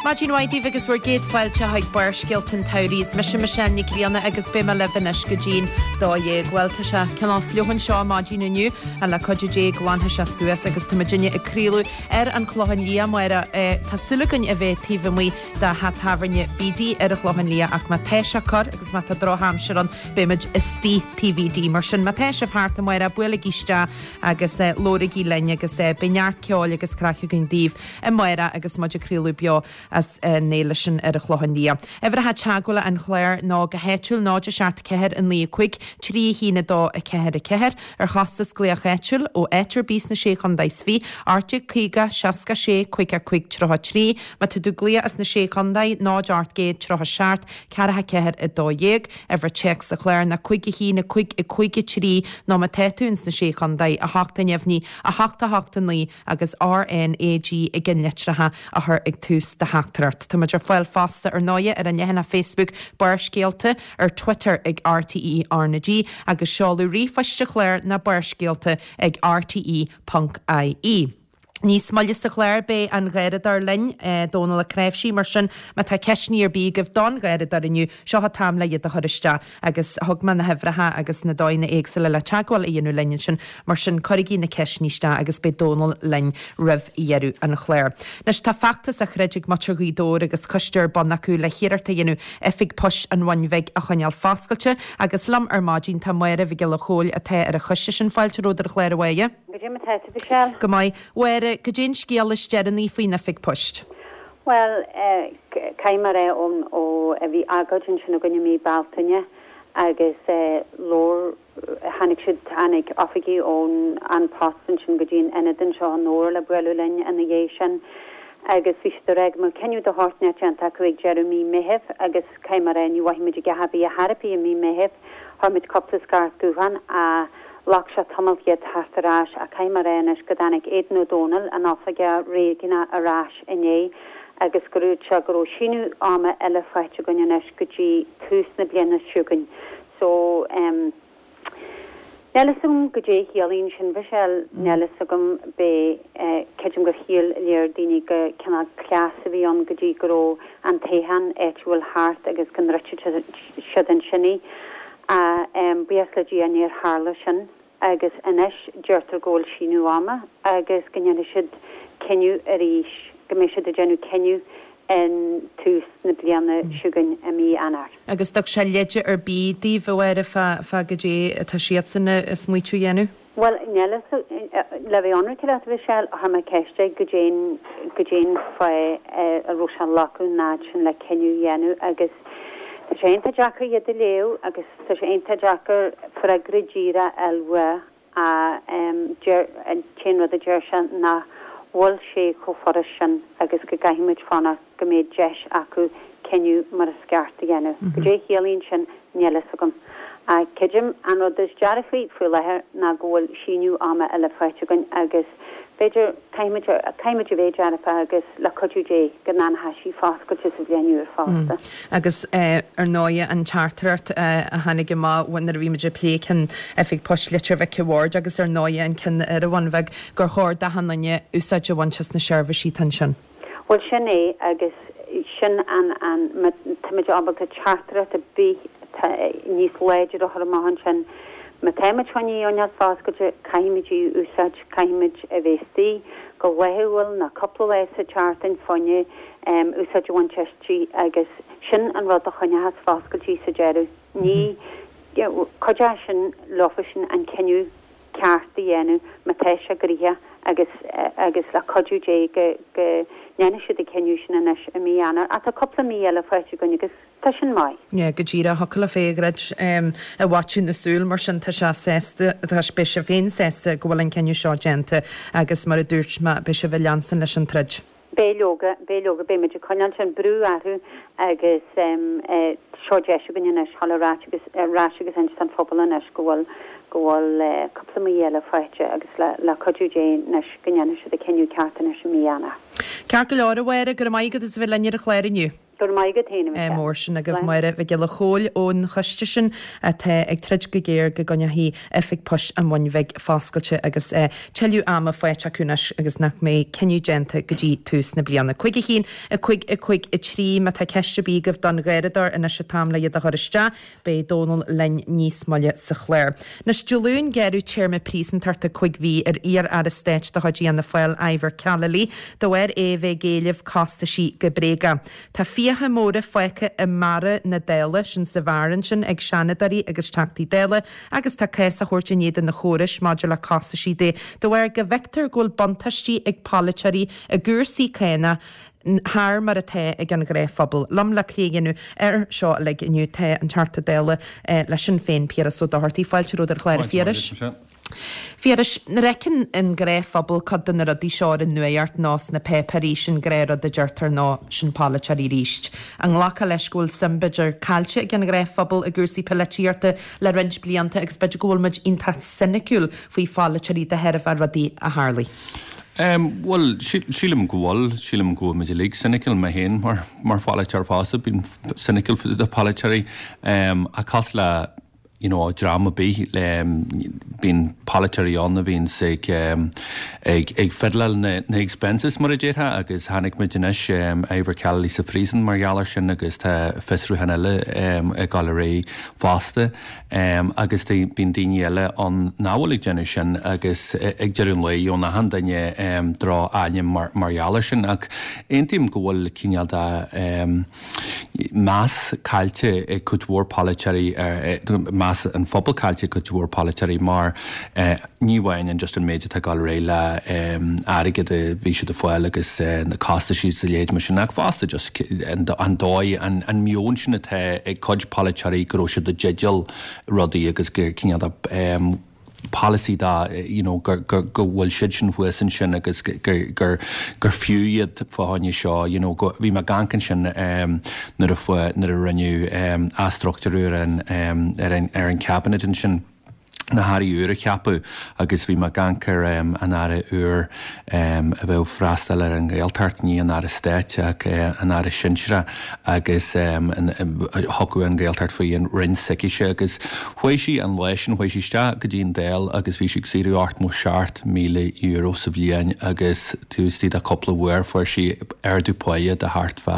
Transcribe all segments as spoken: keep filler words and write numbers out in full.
Maidin mhaith daoibh agus bhur gcéad fáilte chuig Barrscéalta an tSamhraidh. Is mise Michelle Nic Grianna agus beidh mé libh anois go dtí'n dó dhéag. Bhuel tá sé cineál fliuch anseo maidin inniu ach le cuidiú Dé glanfaidh sé suas agus tá muidinne ag craoladh ar an Chlochán Liath Máire. Tá súil againn a bheith taobh amuigh de theach tábhairne Bídí ar an Chlochán Liath ach má tá sé corr agus má tá drochaimsir ann beimid istigh TVD. Mar sin má tá sibh thart amárach buailigí isteach agus labhraigí linn agus beidh neart ceoil agus craic againn daoibh amárach agus muid ag craoladh beo as an fhéile sin ar an Chlochán Liath. Uimhreacha teagmhála an chláir ná go háitiúil náid a seacht ceathair a naoi cúig trí a haon a dó a ceathair a ceathair ar chostas glaoch áitiúil ó áit ar bith sna sé chontae is fiche, ocht déag caoga seasca sé cúig a cúig tríocha trí, má tá tú ag glaoch as na sé chontae náid ocht gcéad tríocha seacht ceathracha ceathair a dó dhéag, uimhir téacs an chláir ná cúig a haon a cúig a cúig a trí nó má tá tú ins na sé chontae a hocht a neamhní a hocht a hocht a naoi agus RNAG i gceannlitreacha a chur ag tús do theachtaireacht. Tá muid ar fáil fosta ar ndóigh ar an leathanach Facebook Barrscéalta ar Twitter ag RTE RnaG agus seoladh ríomhphoist an chláir ná barrscéalta ag rte.ie. Níos moille sa chlár beidh an Garradóir linn Dónal Ó Cnáimhsí mar sin má tá ceisteanna ar bith agaibh don Gharradóir inniu seo an t-am le iad a chur isteach agus thug mé na huimhreacha agus na dóigheanna éagsúla le teagmháil a dhéanamh linn ansin mar sin cuirigí na ceisteanna isteach agus beidh Dónal linn roimh dheireadh an chláir. Anois tá feachtas á throid ag muintir Ghaoth Dobhair agus coiste ar bun acu le hiarracht a dhéanamh oifig poist an Bhun Bhig a choinneáil foscailte agus liom ar maidin tá Máire Mhic Giolla Chóill atá ar an choiste sin fáilte romhat ar an chlár a Mháire. Goidé mar atá tú Michelle? Go maith. Mháire, goidé an scéal is deireanaí faoin oifig poist. Well, caithfidh mé a rá ón ó a bhí agóid ansin againn i mí Bealtaine agus labhair tháinig siad tháinig oifigigh ón An Post ansin go dtí an ionad anseo i nDobhar le bualadh linn ina dhiaidh sin agus bhí siad ag rá go mbeadh cinneadh de shórt inteacht déanta acu ag deireadh mí Meithimh agus caithfidh mé a rá ní mhothaigh muid a dhath ar bith ar bith i mí Meithimh chuir muid cúpla scairt gutháin a Ghlac sé tamall iad theacht ar ais ach caithfidh mé a rá anois go dtáinig Aidan Ó Dónaill, an oifigeach réigiúnach ar ais inné agus go dúirt sé go raibh síneadh ama eile faighte againn anois go dtí tús na bliana seo chugainn. So em níl fhios agam goidé a chiallaíonn sin Michelle, níl fhios agam b'é eh creidim gur shíl léir daoine go cineál cleas a bhí ann go dtí go raibh an toghchán áitiúil thart agus go ndruidfeadh siad ansin í. Ach buíochas le Dia níor tharla sin agus anois deirtear go bhfuil síneadh ama agus go ndéanfaidh siad cinneadh arís, go mbeidh siad ag déanamh cinneadh in tús na bliana seo chugainn i mí Eanáir. Agus thug sé leide ar bith daoibh, a Mháire, fá fá goidé atá siadsan ag smaoitiú a dhéanamh? Bhuel, níl a fhios, le bheith ionraic leat, a Mhichelle, chuir mé ceist air goidé goidé an fáth a raibh sé ag glacadh an fhad sin le cinneadh a dhéanamh agus tá sé iontach deacair iad a léamh agus tá sé iontach deacair freagra díreach a fháil uaidh ach deir, an t-aon rud a deir sé nach bhfuil sé chomh furast sin agus go gcaithfidh muid fanacht go mbeidh deis acu cinneadh mar is ceart a dhéanamh. Goidé a chiallaíonn sin, níl a fhios agam. Ach creidim an rud is dearfaí faoi láthair ná go bhfuil síneadh ama eile faighte againn agus b'fhéidir, caithfimid, caithfimid a bheith dearfach agus le cuidiú Dé go ndéanfaidh sí foscailte sa bhliain úr fosta. Agus ar ndóigh an teachtaireacht a tháinig amach nuair a bhí muid ag plé ceann Oifig Poist Leitir Mhic an Bhaird agus ar ndóigh an ceann ar an Bhun Bheag gur chóir d'achan duine úsáid a bhaint as na seirbhísí atá ansin. Bhuel sin é agus sin an, an, má táimid ábalta teachtaireacht ar bith atá níos láidre a chur amach ansin, má táimid chun í a choinneáil foscailte, caithfimid í a úsáid, caithfimid a bheith istigh go laethúil nó cúpla lá sa tseachtain fá choinne úsáid a bhaint aisti agus sin an rud a choinneochas foscailte í sa deireadh. Ní, cuideoidh sin leofasan an cinneadh ceart a dhéanamh má tá sé gnoitheach agus agus le cuidiú Dé go go ndéanfaidh siad an cinneadh sin anois i mí Eanáir. Ach tá cúpla mí eile faighte againn agus tá sin maith. Yeah, go díreach, thiocfadh leat é a dhruid i bhfaiteadh na súl, mar sin tá sé sásta, tá, beidh sibh féin sásta go bhfuil an cinneadh seo déanta agus mar a dúirt mé, beidh sibh ag leanstan leis an troid. Beidh leoga, beidh leoga, beidh muid ag coinneáil sin brú orthu agus seo deis againn anois dhul ar ais agus ar ais agus inse don phobal anois go bhfuil go bhfuil cúpla mí eile faighte agus le le cuidiú Dé anois go ndéanfaidh siad an cinneadh ceart anois i mí Eanáir. Ceart go leor, a Mháire, go raibh maith agat as a bheith linn ar an chlár inniu. Go raibh maith agat féin, a Michelle. Mór sin agaibh Máire Mhic Giolla Chóill ón choiste sin atá ag troid go géar go gcoinneofaí Oifig Poist an Bhun Bhig foscailte agus tuilleadh ama faighte acu anois agus nach mbeidh cinneadh déanta go dtí tús na bliana. Cúig a haon, a cúig, a cúig, a trí Má tá ceist ar bith agaibh don gharradóir anois an t-am le iad a chur isteach, beidh Dónal linn níos moille sa chlár. Anois Dé Luain gearradh téarma príosúntachta cúig mhí ar iar-aire stáit de chuid Fhianna Fáil Ivor Callely de bharr é a bheith ag éileamh costaisí go bréagach. Tá fiacha móra fágtha i mbarra na Dála, sin sa bheár ansin, ag Seanadóirí agus Teachtaí Dála agus tá cás á thabhairt in éadan na chórais maidir le costaisí de de bharr go bhfeictear go bhfuil buntáistí ag polaiteoirí i gcúrsaí cánach thar mar atá ag an ghnáthphobal. Liom le plé a dhéanamh air seo uilig inniu tá an Teachta Dála le Sinn Féin, Piaras Ó Dochartaigh. Fáilte romhat ar an chlár, a Phiarais. Phiarais, nuair a fheiceann an gnáthphobal cuid de na rudaí seo ar an nuacht nó sna páipéirí, sin gnáthrud a deirtear nó sin polaiteoirí arís. An nglacfá leis go bhfuil suim b'fhéidir caillte ag an ghnáthphobal i gcúrsaí polaitíochta le roinnt blianta agus b'fhéidir go bhfuil muid iontach soiniciúil faoi pholaiteoirí de thairbhe rudaí a tharlaigh? Bhuel, sílim go bhfuil, sílim go bhfuil muid uilig soiniciúil, mé féin mar mar pholaiteoir fosta, bím soiniciúil faoi na polaiteoirí ach cosúil le you know dream ar bith bíonn polaiteoirí ann a bhíonns ag ag ag fiddleáil na na expenses mar a déarfá agus chonaic muid anois Ivor Callely sa phríosún mar gheall air sin agus tá fiosrúchán eile ag dul ar aghaidh fosta agus bíonn daoine eile ann nach bhfuil ag déanamh sin agus ag deireadh an lae gheobhann achan duine droch-ainm mar mar gheall air sin ach aontaím go bhfuil cineál de meas caillte ag cuid mhór polaiteoirí meas an phobail caillte ag cuid mhór polaiteoirí mar ní amháin an just an méid atá ag dul ar aghaidh le airgead a bhí siad ag fáil agus na costaisí is a leithéid mar sin ach fosta just an dóigh an an meon sin atá ag cuid polaiteoirí go raibh siad i dteideal rudaí agus gur cineál de polasaí dá you know gur gur go bhfuil siad sin thuas ansin agus gur gur gur fiú iad fá choinne seo you know go bhí mé ag amharc ansin nuair a fuair nuair a rinneadh athstruchtúrú ar an ar an ar an cabinet ansin na hairí úr a ceapadh agus bhí mé ag amharc ar an aire úr a bheadh ag freastal ar an nGaeltacht, ní an Aire Stáit ach an Aire Sinsearach agus thiocfadh an Ghaeltacht faoi an Roinn s'aicise agus chuaigh sí an lá sin, chuaigh sí isteach go dtí an Dáil agus bhí sí ag saothrú ochtmó seacht míle euro sa bhliain agus taobh istigh de cúpla uair fuair sí ardú páighe de thart fá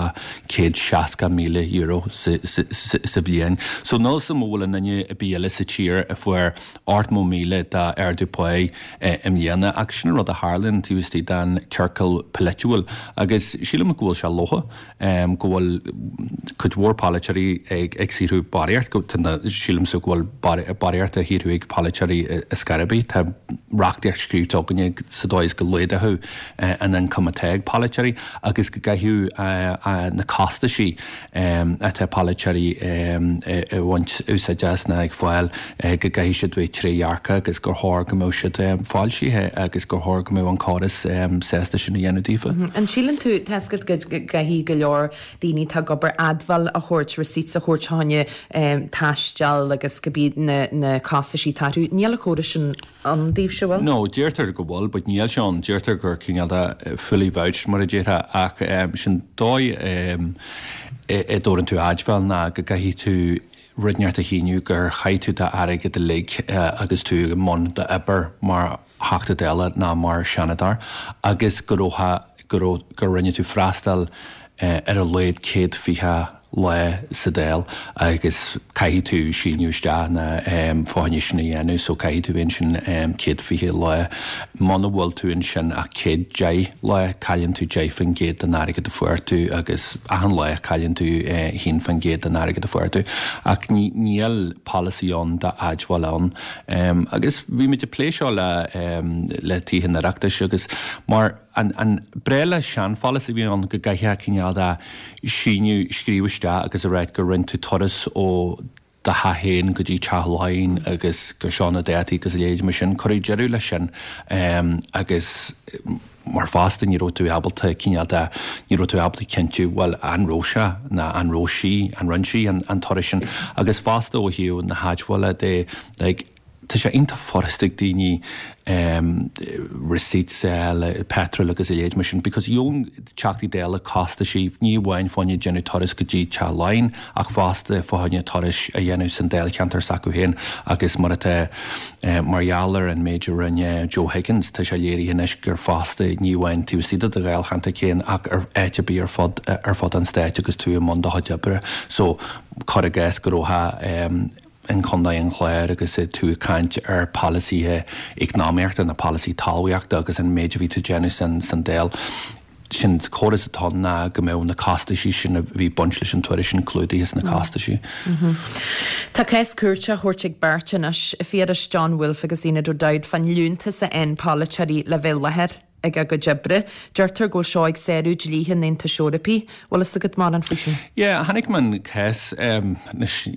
céad seasca míle euro sa bhliain. So níl 'fhios a'm an bhfuil aon duine ar bith eile sa tír a fuair ochtmó míle d'ardú páighe i mbliana ach sin an rud a tharlaíonn taobh istigh den ciorcal polaitiúil agus sílim go bhfuil sé lofa go bhfuil cuid mhór polaiteoirí ag ag saothrú barraíocht, go sílimse go bhfuil barraíocht á shaothrú ag polaiteoirí ar scor ar bith. Tá reachtaíocht scríofa againne sa dóigh is go laghdódh an ioncam atá ag polaiteoirí agus go gcaithfeadh na costaisí atá polaiteoirí ag baint úsáid as ná ag fáil go gcaithfidh siad bheith trédhearcach agus gur chóir go mbeadh siad foilsithe agus gur chóir go mbeadh an córas sásta sin a dhéanamh daofa. An síleann tú, tá 'fhios agat go gcaithfidh go leor daoine atá ag obair admháil a thabhairt, receipts a thabhairt fá choinne taisteal agus cibé na na costaisí atá orthu. Níl an córas sin ann daoibhse, bhfuil? No, deirtear go bhfuil, but níl sé ann. Deirtear gur cineál de fully vouched mar a déarfá ach sin dóigh a dtabharann tú admháil ná go gcaithfidh tú rud inteacht a shíniú gur chaith tú d'airgead uilig agus tú i mbun d'obair mar Theachta Dála ná mar Sheanadóir agus go raibh go raibh gur rinne tú freastal ar a laghad céad fiche lá sa Dáil agus caithfidh tú síniú isteach na fá choinne sin a dhéanamh so caithfidh tú bheith ansin céad fiche lá. Muna bhfuil tú ansin ach céad deich lá cailleann tú deich faoin gcéad den airgead a fuair tú agus achan lá cailleann tú haon faoin gcéad den airgead a fuair tú. Ach ní níl polasaí ann d'admháil ann. Agus bhí muid ag plé seo le le Tithe an Oireachtais agus mar an an breá le seanpholasaí a bhí ann go gcaithfeá cineál de síniú scríobh isteach agus a ráit gur rinne tú turas ó do theach féin go dtí teach Laighean agus gur seo na dátaí agus a leithéid mar sin. Cuireadh deireadh leis sin agus mar fosta ní raibh tú ábalta cineál de ní raibh tú ábalta cinntiú bhuel an raibh sé ná an raibh sí an rinne sí an an turas sin agus fosta ó thaobh na hadmhála de like tá sé iontach furasta ag daoine um, receipts le petrol agus a leithéid mar sin, because gheobhann Teachtaí Dála costaisí ní amháin fá choinne déanamh turas go dtí Teach Laighean ach fosta fá choinne turais a dhéanamh san Dáilcheantar s'acu féin agus mar atá eh, mar gheall ar an méid a rinne Joe Higgins tá sé léirithe anois gur fosta ní amháin taobh istigh de do Dháilcheantar féin ach ar áit ar bith ar fud ar fud an stáit agus tú i mbun do chuid oibre so cuir i gcás go raibh um, in Contae an Chláir agus tú ag caint ar polasaithe eacnamaíochta na polasaí talmhaíochta agus an méid a bhí tú déanamh san san Dáil. Sin córas atá ná go mbeadh na costaisí sin a bhí baint leis an turas sin clúdaithe sna costaisí. Tá cás cúirte á thabhairt ag beirt anois Phiarais John Woulfe agus Enid O'Dowd fán liúntas a fhaigheann polaiteoirí le bheith i láthair ag a gcuid oibre. Deirtear go bhfuil seo ag sárú dlíthe an Aontais Eorpaigh, bhfuil fhios agat mórán faoi sin. Yeah, chonaic mé an cás um,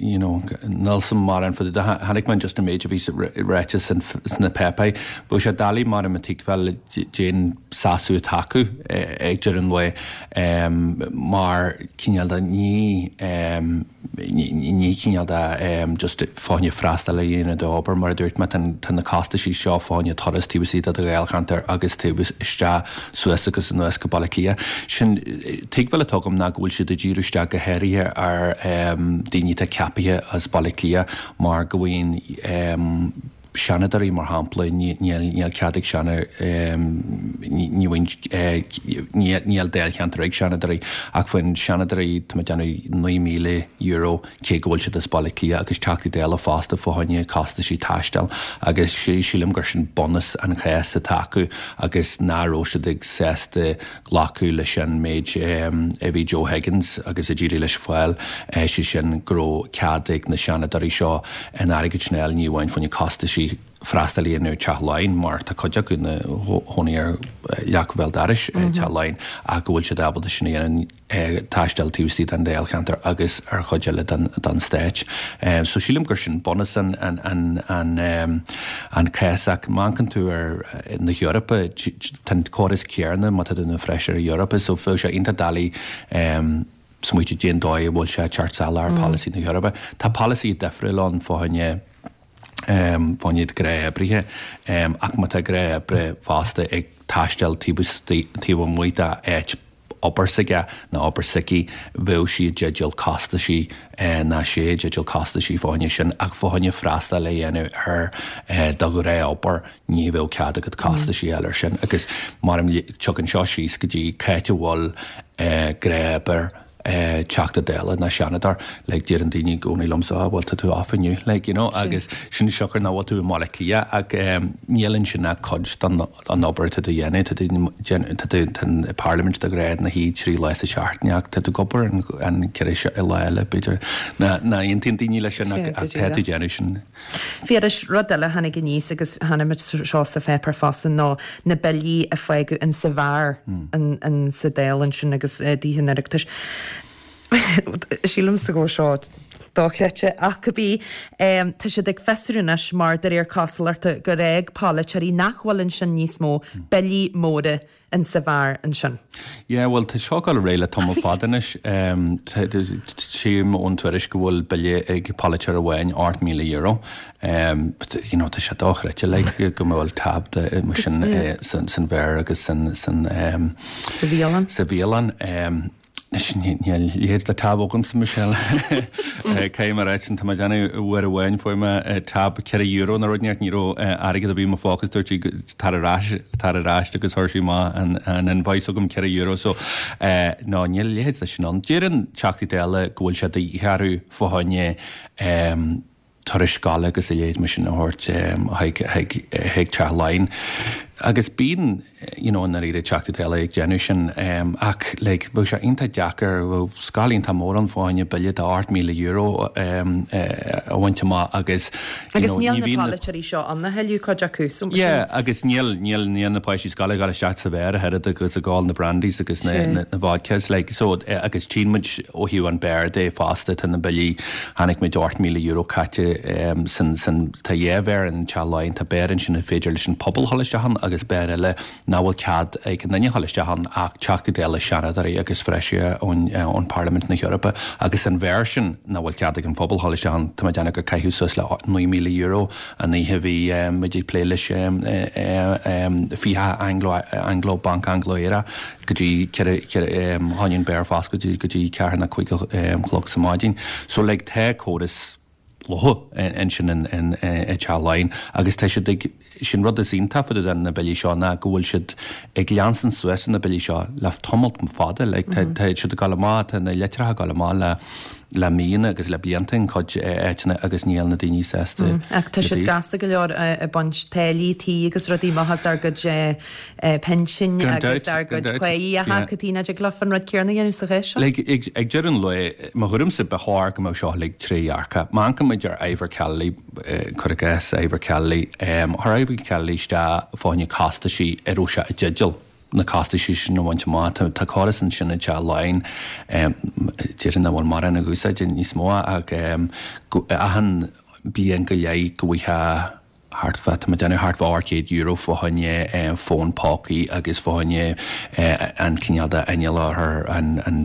you know, níl 'fhios a'm mórán fá chonaic mé just an méid a bhí ráite sna páipéir. Bhí sé doiligh mar a tuigbheáil cén sásamh atá acu ag deireadh an lae um, mar cineál de ní um, ní cineál de um, just fá choinne freastal a dhéanamh d'obair mar a dúirt mé tá na costaisí seo fá choinne turas taobh istigh de do Dháilcheantar agus taobh isteach suas agus anuas go Baile Átha Cliath. Sin tuigbheáil atá agam ná go bhfuil siad ag díriú isteach go háirithe ar um, daoine atá ceaptha as Baile Átha Cliath mar go bhfuil um, seanadóirí mar shampla níl cead ag seana ní níl dáilcheantar ag seanadóirí ach faoin seanadóirí tá déanamh naoi míle euro cé go bhfuil siad as Baile Átha Cliath agus Teachtaí Dála fosta fá choinne costaisí taistil agus sé sílim gur sin bunús an chás atá acu agus ná raibh siad ag sásta glacadh leis an méid a bhí Joe Higgins agus a d'éirigh leis fáil sé sin go raibh cead ag na seanadóirí seo an airgead sin ní amháin fá choinne costaisí freastal ar Teach Laighean mar tá cuid acu ina gcónaí ar leac bhéal dorais Teach Laighean ach go bhfuil siad ábalta sin a dhéanamh taisteal taobh istigh den Dáilcheantar agus ar chuid eile den, den stáit. Um, so sílim gur sin bunús an, an, an, an, um, an cás ach má amharcann tú ar na hEorpa tá córas céanna má tá tú ina feisire Eorpach so bheadh sé iontach doiligh um, smaoineamh cén dóigh a bhfuil sé teacht salach ar polasaí na hEorpa. Tá polasaí difriúil ann fá choinne um, fá choinne gnáthoibrithe um, ach má tá gnáthoibrí fosta ag taisteal taobh amuigh dá áit obair s'aige nó obair s'aici bheadh sí i dteideal costaisí ná sé i dteideal costaisí fá choinne sin ach fá choinne freastal a dhéanamh ar do ghnáthobair ní bheadh cead agat costaisí eile ar sin agus mar tugann seo síos go dtí cá háit a bhfuil gnáthobair Teachta Dála ná seanadóir le deireann daoine i gcónaí liomsa bhfuil tá tú off inniu like you know agus sin siocair nach bhfuil tú i mBaile Átha Cliath ach níl ansin ach cuid den an obair atá tú dhéanamh tá tú tá an Parliament de ghnáth ina shuí trí lá sa seachtain ach tá tú ag obair an an ceithre lá eile b'fhéidir ná ná aontaíonn daoine leis sin ach ach tá tú déanamh sin. Phiarais rud eile a tháinig aníos agus chonaic muid seo sa pháipéar fosta ná na billí a fágadh in sa bheár in in sa Dáil ansin agus dtithe an Oireachtais. Sílimse go bhfuil seo dochreidte ach cibé tá siad ag fiosrú anois mar de réir cosúlachta gur fhág polaiteoirí nach bhfuil ansin níos mó billí móra in sa bheár ansin. Yeah, well tá seo ag dul ar aghaidh le tamall fada anois. Tchím ón tuairisc go bhfuil bille ag polaiteoir amháin ocht míle euro. Um, but, you know, tá sé dochreidte like, go bhfuil tab de mar sin eh, san, san bheár agus san, san, um, Sa bhialann. Sa bhialann. Um, Anois níl leithéid de tab agamsa Michelle. Caithfidh mé a ráit sin tá mé ag déanamh uair amháin fuair mé tab ceithre euro nó rud inteacht ní raibh airgead ar bith i mo phóca is dúirt sí tar ar ais tar ar ais agus chuir sí amach an an invoice chugam ceithre euro so no níl a leithéid de sin ann. Deireann Teachtaí Dála go bhfuil sé de dhíth orthu fá choinne turais scoile agus a leithéid mar sin a thabhairt chuig chuig Teach Laighean. Agus bíonn you know, i ndáiríre Teachtaí Dála ag déanamh sin ach like, bheadh sé iontach deacair, bheadh scáil iontach mór ann fá choinne bille de ocht míle euro a bhaint amach agus you Agus know, níl ní na bhíonn na polaiteoirí seo ann a thuilleadh cuid acu, so mar Yeah, sin. agus níl níl níl na páistí scoile ag dul isteach sa bheár a oiread agus ag ól na brandies agus na Sea. na na vodkas like, so eh, agus tchíonn muid ó thaobh an beár de fosta tá na billí chonaic muid ocht míle euro caite um, san san tá dhá bheár in Teach Laighean tá beár ansin ar féidir leis an pobal dhul isteach ann agus beár eile nach bhfuil cead ag aon duine a dhul isteach ann ach Teachtaí Dála, Seanadóirí agus Feisirí ón ón Parlaimint na hEorpa agus an bheár sin nach bhfuil cead ag an phobal dhul isteach ann tá mé ag déanamh gur caitheadh suas le naoi míle euro an oíche a bhí muid ag plé leis fiche Anglo Anglo Banc Anglo-Éireannach go dtí ceithre ceithre tháinig an beár foscailte go dtí ceathair nó cúig a chlog sa maidin. So like tá córas lofa ansin in i dTeach Laighean agus tá siad ag sin rud is iontach fá dtaobh de na billí seo ná go bhfuil siad ag leanstan suas na billí seo le tamall fada like tá tá siad ag dul amach tá na litreacha ag dul amach le le míonna agus le blianta in cuid áiteanna agus níl na daoine sásta Ach tá siad gasta go leor ag baint táillí tí agus rudaí amach as ár gcuid pinsin agus ár gcuid páí a thacaí na dtig leofa an rud céanna a dhéanamh sa chás seo. Like ag ag deireadh an lae mo thuairimse ba chóir go mbeadh seo uilig trédhearcach. Má amharcann muid ar Ivor Kelly cuir i gcás Ivor Kelly chuir Ivor Kelly isteach fá choinne costaisí a raibh sé i dteideal na costaisí sin a bhaint amach. Tá tá córas ansin i dTeach Laighean déarfainn nach bhfuil mórán ag úsáid níos mó ach go achan bliain go leith go bhfaighfeá thart fá tá mé ag déanamh thart fá ocht gcéad euro fá choinne fón pócaí agus fá choinne an cineál de inneall a chur an an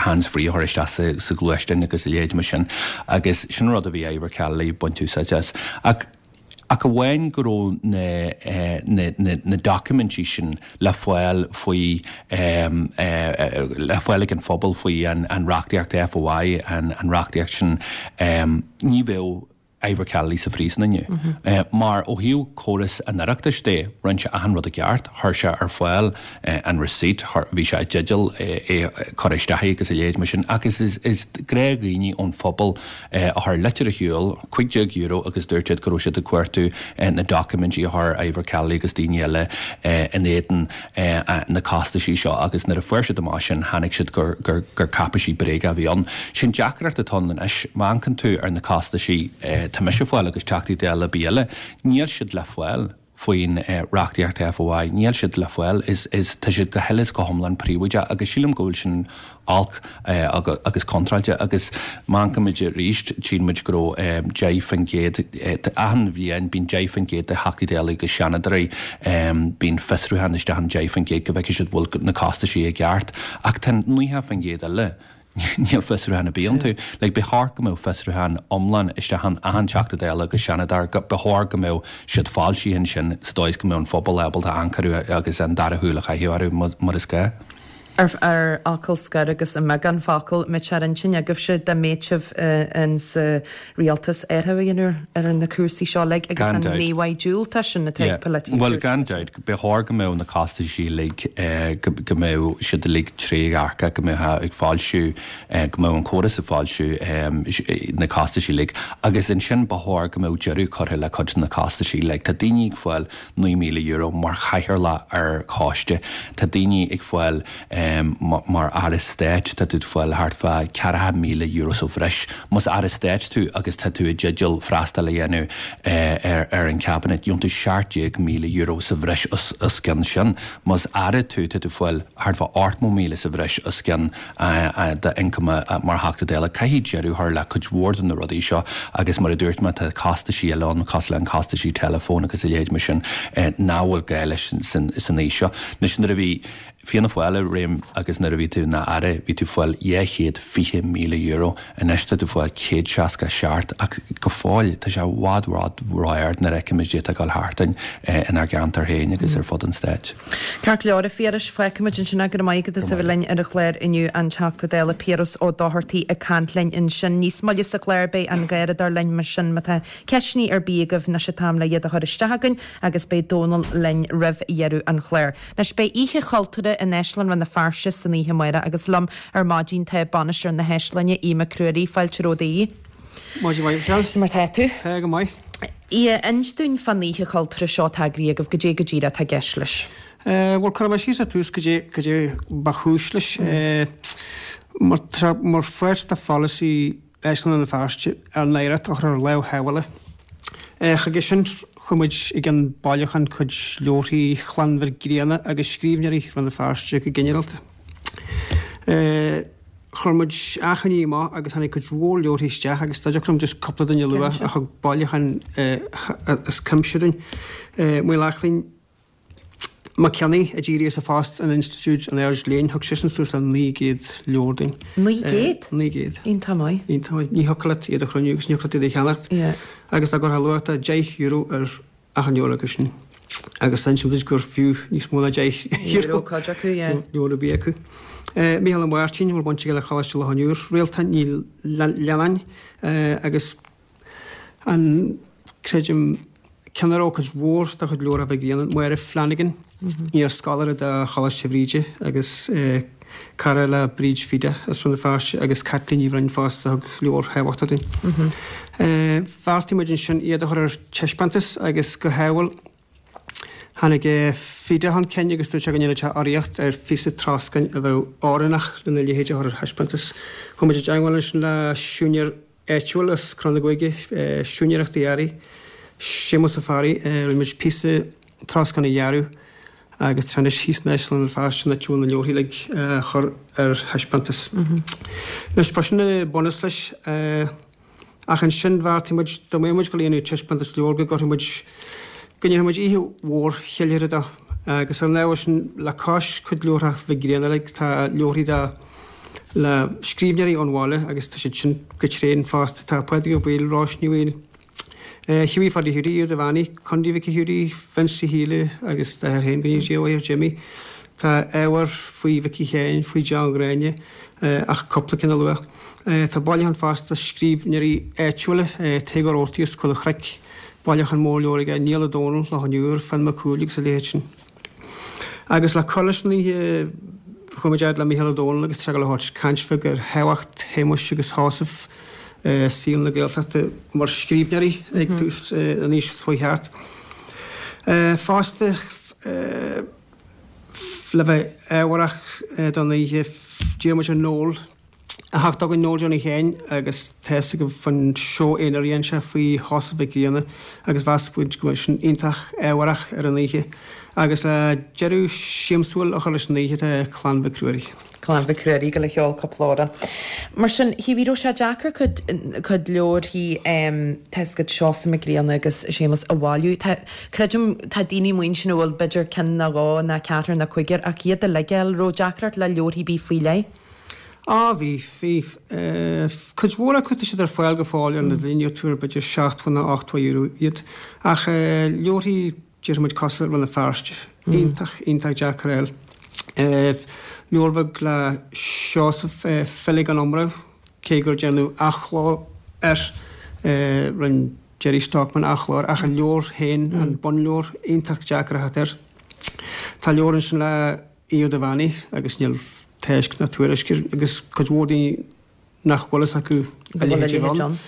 hands free a chur isteach sa sa ghluaisteán agus a leithéid mar sin agus sin rud a bhí Ivor Kelly ag baint úsáid as. Ach ach amháin go raibh na na na na doiciméidí sin le fáil faoi le fáil ag an phobal faoi an an reachtaíocht FOI an an reachtaíocht sin ní bheadh Ivor Kelly sa phríosún inniu. Mar ó thaobh córas an Oireachtais de, rinne sé achan rud i gceart, chuir sé ar fáil an receipt, bhí sé i dteideal é cur isteach agus a leithéid mar sin agus is is gnáthdhaoine ón phobal a chuir litir ar shiúl, cúig déag euro agus dúirt siad go raibh siad ag cuartú na doiciméidí a chuir Ivor Kelly agus daoine eile in éadan na costaisí seo agus nuair a fuair siad amach sin tháinig siad gur gur gur cáipéisí bréige a bhí ann. Sin deacracht atá ann anois, má amharcann tú ar na costaisí tá mise ag fáil agus Teachtaí Dála ar bith eile, níl siad le fáil faoin reachtaíocht FOI, níl siad le fáil, is is tá siad go huile is go hiomlán príobháideach agus sílim go bhfuil sin olc agus contráilte agus má amharcann muid arís tchíonn muid go raibh deich faoin gcéad achan bhliain bíonn deich faoin gcéad de Theachtaí Dála agus Seanadóirí bíonn fiosrúchán isteach an deich faoin gcéad go bhfeicfidh siad bhfuil na costaisí i gceart ach tá nócha faoin gcéad eile Níl fiosrúchán ar bith iontu. Like, ba chóir go mbeadh fiosrúchán iomlán isteach in achan Teachta Dála agus Seanadóir, ba chóir go mbeadh siad foilsithe ansin sa dóigh is go mbeadh an phobal ábalta amharc orthu agus an dara shúil a chaitheamh orthu mar is gá. Ar ar fhocal scoir agus i mbeagán focal, an mbeadh sé ar intinn agaibhse dá mbeadh sibh in sa rialtas athrú a dhéanamh ar na cúrsaí seo uilig agus Gan an dabht. íomhá diúltach sin atá ag Yeah. polaiteoirí. Bhuel, gan dabht, ba chóir go mbeadh na costaisí uilig, go go mbeadh siad uilig trédhearcach, go mbeadh ag foilsiú, go mbeadh an córas ag foilsiú na costaisí uilig agus ansin ba chóir go mbeadh deireadh curtha le cuid de na costaisí uilig. Tá daoine ag fáil naoi míle euro mar chathaoirleach ar choiste, tá daoine ag fáil mar Aire Stáit, tá tú ag fáil thart fá ceathracha míle euro sa bhreis. Más Aire Stáit tú agus tá tú i dteideal freastal a dhéanamh ar ar an Cabinet, gheobhann tú seacht déag míle euro sa bhreis os os cionn sin. Más Aire tú, tá tú ag fáil thart fá ochtó míle sa bhreis os cionn d'ioncam mar Theachta Dála. Caithfidh deireadh a chur le cuid mhór de na rudaí seo agus mar a dúirt mé tá costaisí eile ann cosúil le an costaisí teileafóin agus a leithéid mar sin nach bhfuil gá leis san aois seo. Anois nuair a bhí Fianna Fáil i réim agus nuair a bhí tú ina aire bhí tú ag fáil dhá chéad fiche míle euro, anois tá tú ag fáil céad seasca a seacht ach go fóill tá sé i bhfad bhfad ró-ard nuair a fheicimid é ag dul thart inár gceantar féin agus ar fud an stáit. Ceart go leor, a Phiarais, fágfaimid ansin é. Go raibh maith agat as a bheith linn ar an chlár inniu, an Teachta Dála Piaras Ó Dochartaigh ag caint linn ansin. Níos moille sa chlár beidh an Garradóir linn mar sin má tá ceisteanna ar bith agaibh anois an t-am le iad a chur isteach againn agus beidh Dónal linn roimh dheireadh an chláir. Anois beidh Oíche Chultúrtha in Áislann Rann na Feirste san oíche amárach agus liom ar maidin tá bainisteoir na hÁislainne, Aodh Mac Ruairí. Fáilte romhat a Aoidh. Maidin mhaith, Michelle. Mar tá tú? Tá go maith. Aodh, inis dúinn fán Oíche Chultúrtha seo atá eagraithe agaibh, goidé go díreach atá i gceist leis. Bhuel, cuirfidh mé síos ar tús goidé, goidé ba chúis leis. Mar, mar pháirt de pholasaí Áislann Rann na Feirste ár n-oidhreacht a chur ar lámh shábhála. Chuige sin, chuaigh muid ag an bailiúchán cuid leabharthaí Chlann Mhic Grianna agus scríbhneoirí Rann na Feirste go ginearálta. Chuir muid achainí amach agus tháinig cuid mhór leabharthaí isteach agus dá dtiocfadh liom just cúpla duine a lua a thug bailiúchán as cuimse dúinn. Maolsheachlainn, Mac Cionnaith a d'éirigh as a phost in Institiúid an Aird Léinn, thug seisean suas le naoi gcéad leabhar dúinn. Naoi gcéad? Naoi gcéad. Iontach maith. Iontach maith. Ní thiocfadh leat iad a chruinniú agus ní thiocfadh leat iad a cheannacht. Agus dá gcuirfeá luach de deich euro ar achan leabhar acu sin. Agus insím duit gur fiú níos mó ná deich euro cuid acu, yeah. Leabhar ar bith acu. Mícheál Ó Máirtín, a bhfuil baint aige le Coláiste Loch an Iúir, Réaltán Ní Leannáin agus an, creidim, ceann a raibh cuid mhór dá chuid leabhar Mhic Grianna, Máire Flanagan, iar-scoláire de Choláiste Bhríde agus cara le Bríd Pheada as Rann na Feirste agus Caitlín Ní Bhroin fosta a thug leabhair thábhachtacha dúinn. Bheartaigh muid ansin iad a chur ar taispeántas agus go hádhúil tháinig Peada chun cinn agus dúirt sé go ndéanfadh sé urraíocht ar phíosa troscáin a bheadh oiriúnach lena leithéid a chur ar thaispeántas. Chuaigh muid i dteagmháil ansin le siúinéir áitiúil as Crann na Gruaige, Siúinéireachtaí Earraí, Séamus Ó Fearraigh. Rinne muid píosa troscáin a dhearadh agus tá sé anois thíos in Áislann Rann na Feirste an áit a bhfuil na leabharthaí uilig á chur ar thaispeántas. Anois, ba sin an bunús leis. Ach ansin bheartaigh muid, dá mbeadh muid ag dul a dhéanamh taispeántas leabhar go gcuirfeadh muid, go ndéanfadh muid oíche mhór cheiliúrtha dó. Agus ar an ábhar sin, le cois cuid leabhartha Mhic Grianna uilig, tá leabharthaí de le scríbhneoirí ón bhaile agus tá siad sin go tréan fosta. Tá Pádraig Ó Baoill, Róis Ní Bhaoill, Hughie Pháidí Hiúdaí, Aodh Devaney, Condaí Mhicí Hiúdaí, Vince Uí Shíle agus d'athair féin, go ndéana Dia a mhaith air, Jimmy. Tá ábhar faoi Mhicí Sheáin, faoi John Ghráinne, ach cúpla ceann a lua. Tá bailiúchán fosta scríbhneoirí áitiúla, Tadhg Ó Rabhartaigh as Coill an Chnoic, bailiúchán mór leabhar aige, Niall Ó Dónaill, Loch an Iúir, Finn Mac Cumhaill agus a leithéid sin. Agus le cur leis an oíche, chuaigh muid fhad le Mícheál Ó Domhnaill agus tá sé ag dul a thabhairt caint bheag ar thábhacht Shéamuis agus Sheosaimh i saol na Gaeltachta mar scríbhneoirí ag tús an aois seo chuaigh thart. Fosta, le bheith ábharach don oíche, d'iarr muid ar Noel a theacht chugainn, Noel Johnny Sheáin, agus tá fhios agaibh faoin seó aonair a dhein sé faoi Sheosamh Mhic Grianna agus mheas muid go mbeadh sin iontach ábharach ar an oíche. Agus le deireadh siamsúil a chur leis an oíche tá Clann Mhic Ruairí. Clann Mhic Ruairí ag dul a cheol cúpla amhrán. Mar sin, Hughie, raibh sé deacair cuid, cuid leabharthaí, tá fhios agat, Seosamh Mac Grianna agus Séamus a bhailiú. Tá, creidim, tá daoine amuigh ansin a bhfuil b'fhéidir ceann nó dhó nó ceathrar nó cúigear ach iad uilig a fháil, raibh deacracht le leabharthaí ar bith faoi leith? Á, bhí, bhí. Cuid mhór acu, tá siad ar fáil go fóill ar an idirlíon, gheobhaidh tú ar b'fhéidir seachtó nó ochtó euro iad. Ach leabharthaí, déarfaidh muid cosúil le Rann na Feirste, iontach, iontach deacair a fháil. Leabhar bheag le Seosamh, File gan Iomramh, cé gur déanadh athchló air, rinne Gerry Stockman athchló air, ach an leabhar féin, an bunleabhar, iontach deacair a theacht air. Tá leabhar ansin le Aodh Devaney agus níl tásc ná tuairisc air agus cuid mhór daoine nach bhfuil fhios acu a leithéid ann.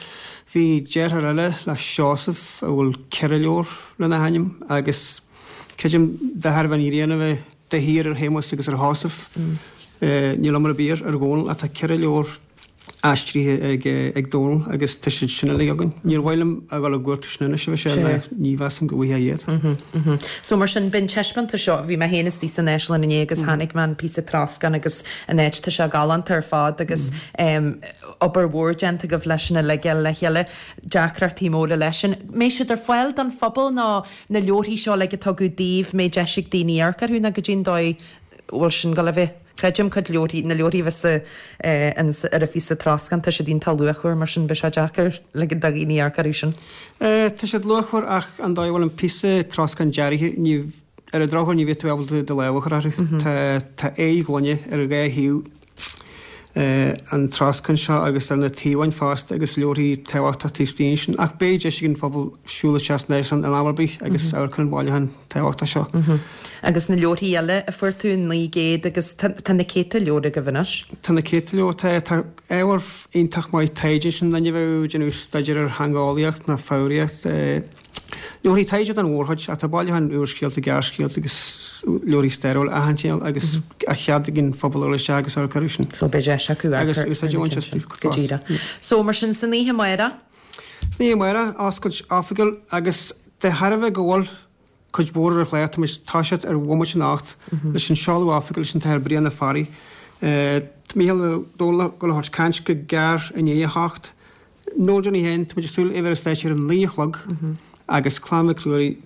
Bhí deartháir eile le Seosamh a bhfuil ceithre leabhar lena hainm agus creidim de thairbhe an ghrian a bheith de shíor ar Shéamus agus ar Sheosamh níl iomramh ar bith ar Dhónal ach tá ceithre leabhar aistrithe ag ag Dónal agus tá siad sin uilig againn. Níor mhaith liom a dhul á gcuartú sin anois, a Mhichelle, ná ní mheasaim go bhfaighfeá iad. So mar sin, b'in taispeántas seo, bhí mé féin istigh san áislann inné agus chonaic mé an píosa troscáin agus an áit, tá sé galánta ar fad agus obair mhór déanta agaibh leis sin uilig a fháil le chéile, deacrachtaí móra leis sin. Mbeidh siad ar fáil don phobal nó na leabharthaí seo uilig a tugadh daoibh, mbeidh deis ag daoine amharc orthu nó goidé an dóigh a bhfuil sin ag dul a bheith? Creidim cuid leabharthaí, na leabharthaí a bheas ar an phíosa troscáin, tá siad iontach luachmhar, mar sin beidh sé deacair ligean do dhaoine amharc orthu sin. Tá siad luachmhar ach an dóigh a bhfuil an píosa troscáin dearaithe, ní, ar an drochuair ní bheidh tú ábalta do lámh a chur orthu. Tá, tá aghaidh ghloine ar dhá thaobh an troscáin seo agus ar na taobháin fosta agus leabharthaí tábhachtacha taobh istigh ansin. Ach beidh deis ag an phobal siúl isteach san áislann in am ar bith agus amharc ar an bhailiúchán tábhachtach seo. Agus na leabharthaí eile a fuair tú, naoi gcéad agus tá tá na céadta leabhar agaibh anois. Tá na céadta leabhar, tá tá ábhar iontach maith taighde ansin, duine a bheadh ag déanamh staidéar ar theangeolaíocht nó foghraíocht, Leabharthaí taighde den mhórchuid, ach tá bailiúchán úrscéalta, gearrscéalta agus leabharthaí stairiúla achan chineál agus tá cead ag an phobal a dhul isteach agus amharc orthu sin. So beidh deis acu amharc ar na cinn sin. Go díreach. So mar sin, san oíche amárach? San oíche amárach, oscailt oifigiúil agus de thairbhe go bhfuil cuid mhór ar an chlár, tá muid ag toiseacht ar bhomaite a hocht leis an seoladh oifigiúil leis an tAthair Brian Ó Fearraigh. Tá Mícheál Ó Domhnaill ag dul a thabhairt caint go gearr i ndiaidh a hocht. Noel Johnny féin, tá muid ag súil é bheith ar an stáitse ar a naoi a chlog agus Clann Mhic Ruairí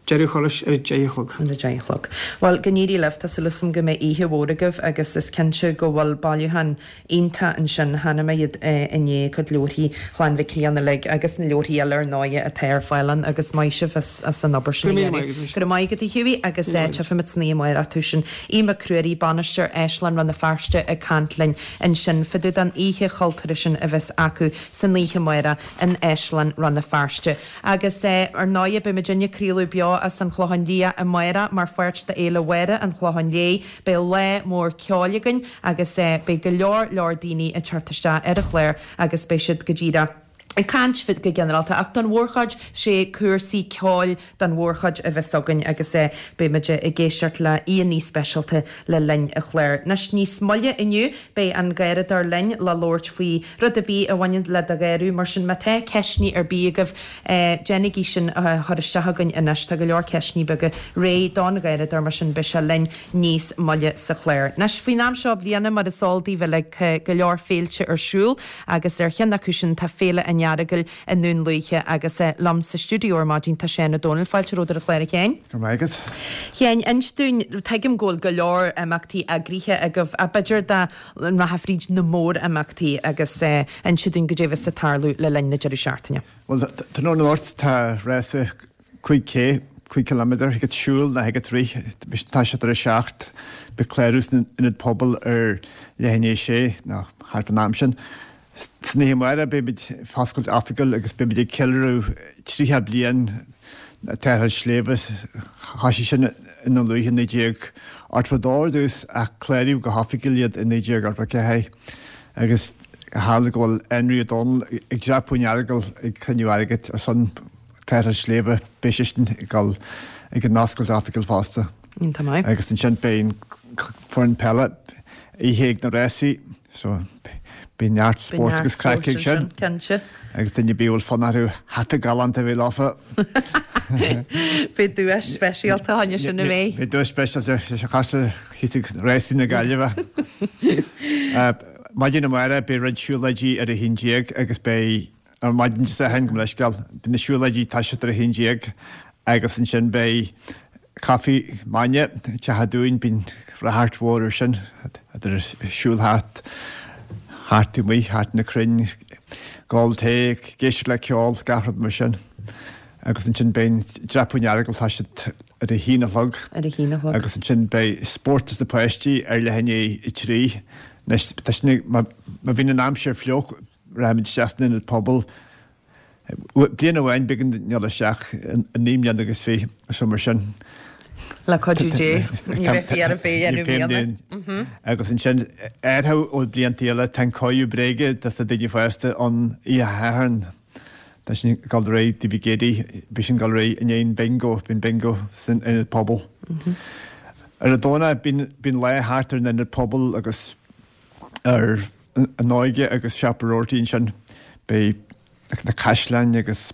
Deireadh thurais ar a deich a chlog. Ar a deich a chlog. Bhuel, go n-éirí libh, tá súil agam go mbeidh oíche mhór agaibh agus is cinnte go bhfuil bailiúchán iontach ansin. Chonaic mé iad inné, cuid leabharthaí Chlann Mhic Grianna uilig agus na leabharthaí eile ar ndóighe atá ar fáil ann agus maith sibh as as an obair sin a dhéanamh. Go raibh maith agat a Hughie agus tchífimid san oíche amárach tú sin. Aodh Mac Ruairí, Bainisteoir Áislann Rann na Feirste ag caint linn ansin fá dtaobh den oíche chultúrtha sin a bheas acu san oíche amárach in Áislann Rann na Feirste. Agus ar ndóighe beidh muidinne ag craoladh beo as an Chlochán Liath amárach mar pháirt d'Fhéile Mháire an Chlocháin Léith. Beidh lá mór ceoil againn agus beidh go leor leor daoine ag teacht isteach ar an chlár agus beidh siad go díreach ag caint go ginearálta ach don mhórchuid sé cúrsaí ceoil don mhórchuid a bheas againn agus beidh muid ag éisteacht le aíonna speisialta le linn an chláir. Anois níos moille inniu beidh an Garradóir linn le labhairt faoi rud ar bith a bhaineann le do gharradh mar sin má tá ceisteanna ar bith agaibh déanaigí sin a chur isteach chugainn anois. Tá go leor ceisteanna beaga réidh don Gharradóir mar sin beidh sé linn níos moille sa chlár. Anois faoin am seo bliana mar is eol daoibh uilig go leor féilte ar siúl agus ar cheann acu sin tá Féile an Earagail i nDún Lúiche agus liom sa stiúideo ar maidin tá Seán Ó Dónaill. Fáilte romhat ar an chlár a Sheáin. Go raibh maith agat. Sheáin, inis dúinn, tuigim go bhfuil go leor imeachtaí eagraithe agaibh ach b'fhéidir dá rachfá fríd na mór-imeachtaí agus inse dúinn goidé a bheas ag tarlú le linn na deireadh seachtaine. Bhuel, tráthnóna anocht tá rása cúig K, cúig ciliméadar, thig leat siúl nó thig leat rith, tá sé tar a seacht, beidh clárú san Ionad Pobail ar leath i ndiaidh a sé, nó thart fán am sin. San oíche amárach beimid ag oscailt oifigiúil agus beimid ag ceiliúradh tríocha bliain Tarrtháil Sléibhe. Thoisigh sin i nDún Lúiche i naoi déag ochtó a dó ar dtús ach cláraíodh go hoifigiúil iad i naoi déag ochtó a ceathair agus tharla go bhfuil Énrí Ó Dónaill ag dreapadh an Earagail ag cruinniú airgid ar son Tarrtháil Sléibhe. Beidh seisean ag dul ag an oscailt oifigiúil fosta. Iontach maith. Agus ansin beidh an foireann peile oíche ag na rásaí so beidh neart spóirt agus craic ag sin. Cinnte. Agus duine ar bith a bhfuil fonn orthu hata galánta a bheith leofa. Beidh duais speisialta fá choinne sin an mbeidh? Beidh duais speisialta sé chasta thíos ag rásaí na Gaillimhe. Maidin amárach beidh roinnt siúlóidí ar a haon déag agus beidh Ar maidin Dé Sathairn, gabh mo leithscéal, beidh na siúlóidí ag toiseacht ar a haon déag agus ansin beidh caife maidine, Teach an Dúin, bíonn ráchairt mhór air sin, idir siúl thart, thart amuigh, thart na crainn, ag ól tae, ag éisteacht le ceol, gach rud mar sin. Agus ansin beidh an dreapadh an Earagail, tá siad ar a haon a chlog. Ar a haon a chlog. Agus ansin beidh spórt dos na páistí ar leath i ndiaidh a trí. Anois, tá sin, má bhíonn an aimsir fliuch, Rachaimid isteach san ionad pobail. Bliain amháin b'éigean dúinn dul isteach i naoi mbliana agus fiche, so mar sin. Le cuidiú Dé, ní bheifí ar a bheith dhéanamh mbliana. Agus ansin, athrú ó blianta eile, tá an cóiriú bréige dos na daoine fásta ann oíche Shathairn. Tá sin ag dul ar aghaidh Taobh Géadaí, bhí sin ag dul ar aghaidh i ndiaidh an bingo, bíonn bingo san ionad pobail. Ar an Domhnach bíonn lá thart ar an ionad pobail agus ar an óige agus Siopa Roarty ansin. Beidh na caisleáin agus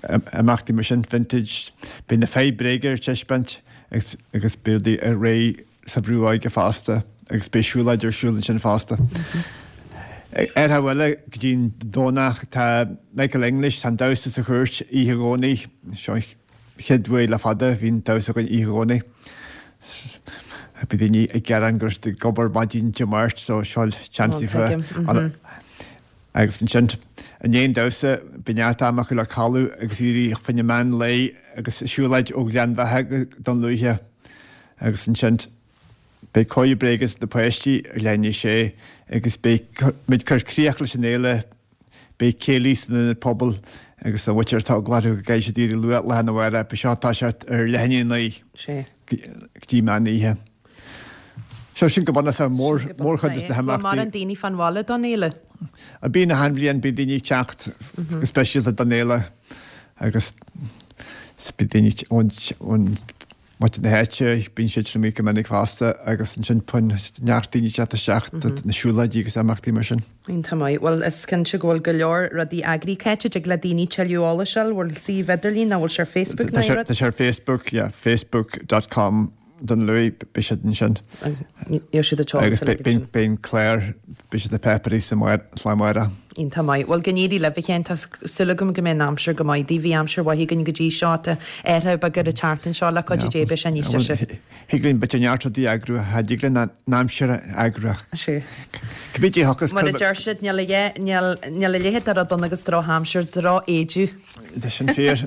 imeachtaí mar sin, vintage, beidh na fir bréige ar taispeáint agus beidh rudaí ar aghaidh sa Bhrú Óige fosta agus beidh siúlóid ar siúl ansin fosta. Ar thaobh eile, go dtí an Domhnach, tá Michael English, tá an damhsa sa chúirt oíche Dhomhnaigh, seo chéad uair le fada a bhí an damhsa againn oíche Dhomhnaigh. Bhí daoine ag gearán go raibh siad ag obair maidin Dé Máirt so seo seans daofa. Agus ansin i ndiaidh an damhsa bhí neart ama acu le codladh agus éirí fá choinne meán lae agus siúlóid ó Ghleann Bheatha go Dún Lúiche agus ansin beidh cóiriú bréige dos na páistí ar leath i ndiaidh a sé agus beidh muid ag cur críoch leis an fhéile Beidh céilí san ionad pobail agus an mhuintir atá eagla orthu go gcaithfidh siad éirí luath lá arna mhárach, beidh seo ag toiseacht ar leath i ndiaidh a naoi go dtí meán oíche. So sin go bunúsach mór mórchuid de na himeachtaí. Mórán daoine fán bhaile don fhéile? Bíonn achan bhliain, bíonn daoine ag teacht go speisialta don fhéile agus bíonn daoine ón ón muintir na háite, bíonn siad sin amuigh go minic fosta agus ansin bíonn neart daoine ag teacht isteach do na siúlóidí agus imeachtaí mar sin. Iontach maith. Bhuel, is cinnte go bhfuil go leor rudaí eagraithe. Cá háit a dtig le daoine tuilleadh eolais a fháil? Bhfuil suíomh idirlín nó bhfuil sé ar Facebook nó aon rud? Tá sé ar Facebook, yeah, facebook dot com Dún Lúiche, beidh siad ansin. Gheobhaidh siad an t-eolas Agus beidh an clár, beidh siad sna páipéirí sa lá amárach. Iontach maith. Bhuel, go n-éirí libh, a Sheáin. Tá súil agam go mbeidh an aimsir go maith daoibh. Bhí aimsir mhaith againn go dtí seo. Tá athrú beag ar an tseachtain seo le cuidiú Dé beidh sé níos deise. Thig linn b'fhéidir neart rudaí a eagrú, cha dtig linn an aimsir a eagrú ach cibé dé thiocfas Mar a deir siad, níl a níl a leithéid de rud ann agus drochaimsir, drochéidiú. Tá sin fíor.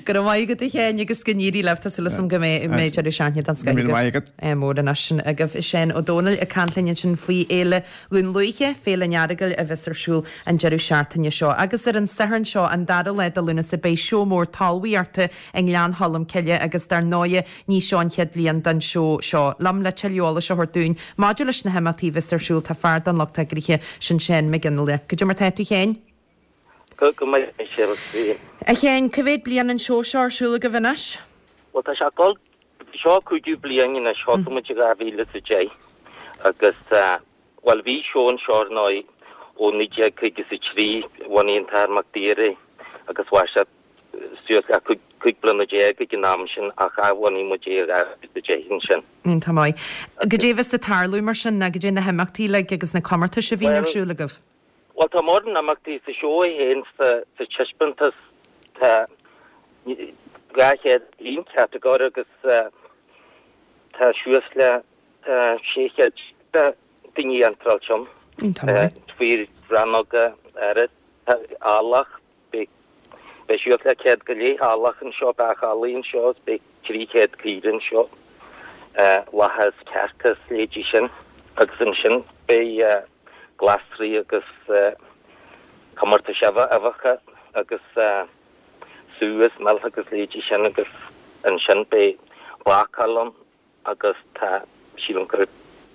Go raibh maith agat a Sheáin agus go n-éirí libh. Tá súil agam go mbeidh mbeidh deireadh seachtaine den scoth Go raibh míle maith agat. Mór anois sin agaibh. Seán Ó Domhnaill ag caint linn ansin faoi Fhéile Dhún Lúiche, Féile an Earagail a bheas ar siúl an deireadh seachtaine seo. Agus ar an Satharn seo, an dara lá de Lúnasa, beidh seó mór talmhaíochta i nGleann Cholm Cille agus dar ndóighe ní seo an chéad bhliain don seó seo. Liom le tuilleadh eolais a thabhairt dúinn maidir leis na himeachtaí a bheas ar siúl tá fear den lucht eagraithe, sin Seán Mac Fhionnghaile. Goidé mar tá tú a Sheáin? Go go maith Michelle, bhí. A Sheáin, cá mhéad bliain an seó seo ar siúl agaibh anois? Bhuel tá sé ag dul, seo cúigiú bliain anois, thosaigh muid i dhá mhíle is a deich agus bhuel bhí seó anseo ar ndóigh ó naoi déag caoga is a trí, bhunaigh an tAthair Mac Daoir é agus mhair sé suas le cúig cúig bliana déag ag an am sin ach athbhunaigh muid é i dhá mhíle is a deich ansin. Iontach maith. Goidé a bheas ag tarlú mar sin ná goidé na himeachtaí uilig agus na comórtais a bhíonn ar Bhuel, siúl agaibh? Bhuel tá mórán imeachtaí sa seó é féin sa sa taispeántas tá dhá chéad aon catagóir agus tá suas le tá sé chéad daoine iontráilte ann. Iontach maith. Faoi rannóga áirid, tá eallach, beidh beidh suas le céad go leith eallach anseo, beach eallaigh anseo is beidh trí chéad caoire anseo, lacha is cearca is leithéidí sin agus ansin beidh glasraí agus comórtais uibheacha agus sú is mil agus leithéidí sin agus ansin beidh bácáil ann agus tá, sílim gur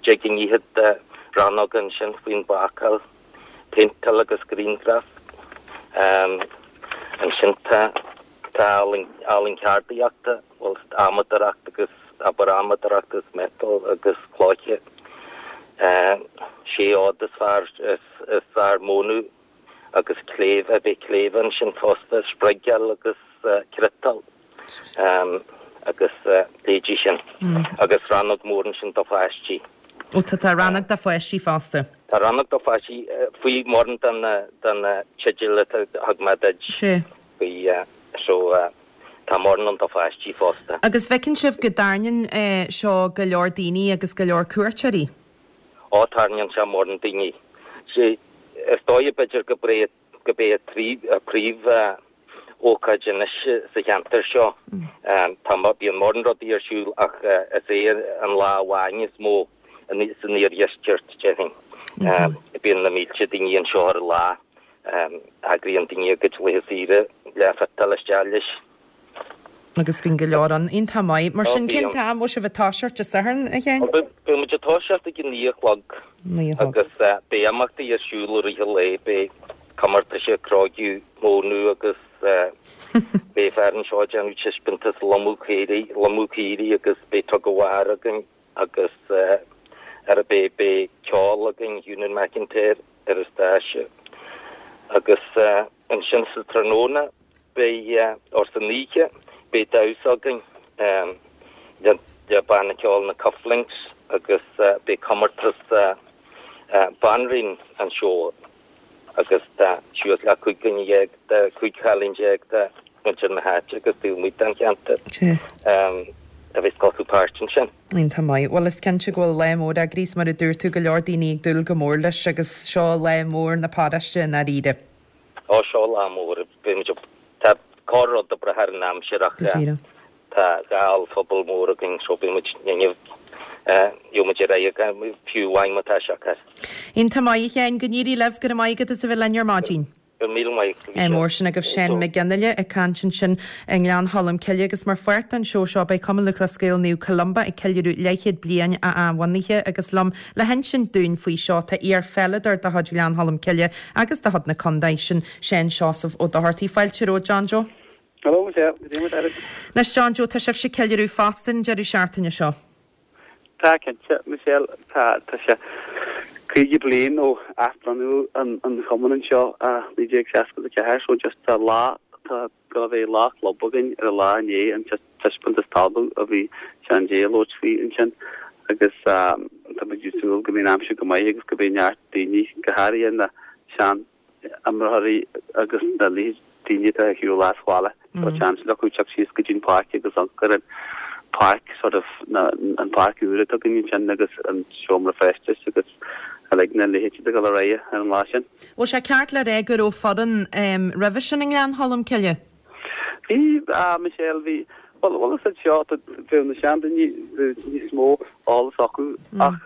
deich go fhichead de rannóga ansin faoin bhácáil, péinteáil agus grianghraf. Ansin tá, tá ealaín, ealaín ceardaíochta, bhuel, adhmadóireacht agus, abair adhmadóireacht agus miotal agus cloiche. Sé fhód is fearr, is, is fearr mónadh agus cléibhe, beidh cléibhe ansin fosta, spriogáil agus cniotáil agus leithéidí sin. Agus rannóg mór ansin do pháistí. Ó tá, tá rannóg do pháistí fosta. Tá rannóg do pháistí faoi mórán de na, de na teidil a thug mé duit. Sea. Faoi, so tá mórán ann do pháistí fosta. Agus feiceann sibh go dtarraingíonn seo go leor daoine agus go leor cuairteoirí? Ó tarraingíonn sé mórán daoine. Sea, is dóigh b'fhéidir go b'é go b'é an príomh ócáid anois sa cheantar seo. Tá bíonn mórán rudaí ar siúl ach is é an lá amháin is mó san iardheisceart, déarfainn. Bíonn na mílte daoine anseo ar an lá. Eagraíonn daoine a gcuid laetha saoire le fiteáil isteach leis. Agus bíonn go leor ann. Iontach maith. Mar sin, cén t-am a bhfuil sibh ag toiseacht Dé Sathairn, a Sheáin? Beidh muid ag toiseacht ag a naoi a chlog agus beidh imeachtaí ar siúl i rith an lae. Beidh comórtais cróigiú, mónadh agus beidh fear anseo ag déanamh taispeántas lomadh caoirigh, lomadh caoirigh agus beidh tug of war againn agus ar beidh beidh ceol againn, Eunan McIntyre ar an stáitse agus ansin sa tráthnóna Beidh, or san oíche, beidh damhsa againn le le banna ceoil na Cufflinks agus beidh comórtas Banríon an Seó agus tá suas le cúig dhuine dhéag de, cúig chailín déag de mhuintir na háite agus taobh amuigh den cheantar a bheas ag glacadh páirt ansin. Iontach maith. Bhuel is cinnte go bhfuil lá mór eagraithe is mar a dúirt tú go leor daoine ag dúil go mór leis agus seo lá mór na paróiste i ndáiríre. Ó, seo lá mór. Beidh muid ag, tá corr-rud ag brath ar an aimsir ach Go díreach. tá dhá ollphuball mór againn so beidh muid inniu, gheobhaidh muid ar aghaidh againn fiú amháin má tá sé acu. Iontach maith, a Sheáin. Go n-éirí libh. Go raibh maith agat as a bheith linn ar maidin. Go raibh míle maith agat. Ádh mór sin agaibh Seán Mac Fhionnghaile ag caint ansin i nGleann Cholm Cille agus mar pháirt den seó seo beidh Cumann Lúthchleas Gael Naomh Columba ag ceiliúradh leathchéad bliain a athbhunaithe agus liom le hinsint dúinn faoi seo tá iar-pheileadóir de chuid Ghleann Cholm Cille agus de chuid na contae, sin Seán Seosamh Ó Dochartaigh. Fáilte romhat, John Joe. Hello, Michelle. Goidé mar atá tú? Anois, John Joe, tá sibhse ag ceiliúradh fosta an deireadh seachtaine seo. Tá, cinnte, Michelle. Tá, tá sé caoga bliain ó athbhunú an an chumann anseo i naoi déag seasca a ceathair so just tá lá, tá go bheidh lá club againn ar an lá inné, an taispeántas talmhan a bhí Seán J ag labhairt faoi ansin agus tá muid ag súil go mbeidh an aimsir go maith agus go mbeidh neart daoine, go háirithe na sean imreoirí agus na daoine atá ar shiúl as bhaile. Tá seans acu teacht síos go dtí an páirc agus amharc ar an páirc sort of na an páirc úr atá againn ansin agus an seomra feistis agus uilig na leithéidí ag dul ar aghaidh ar an lá sin. Bhfuil sé ceart le rá go raibh foireann roimhe sin i nGleann Cholm Cille? Bhí, a Michelle, bhí. Bhuel, bhuel is seo, bheadh na seandaoine níos mó eolas acu ach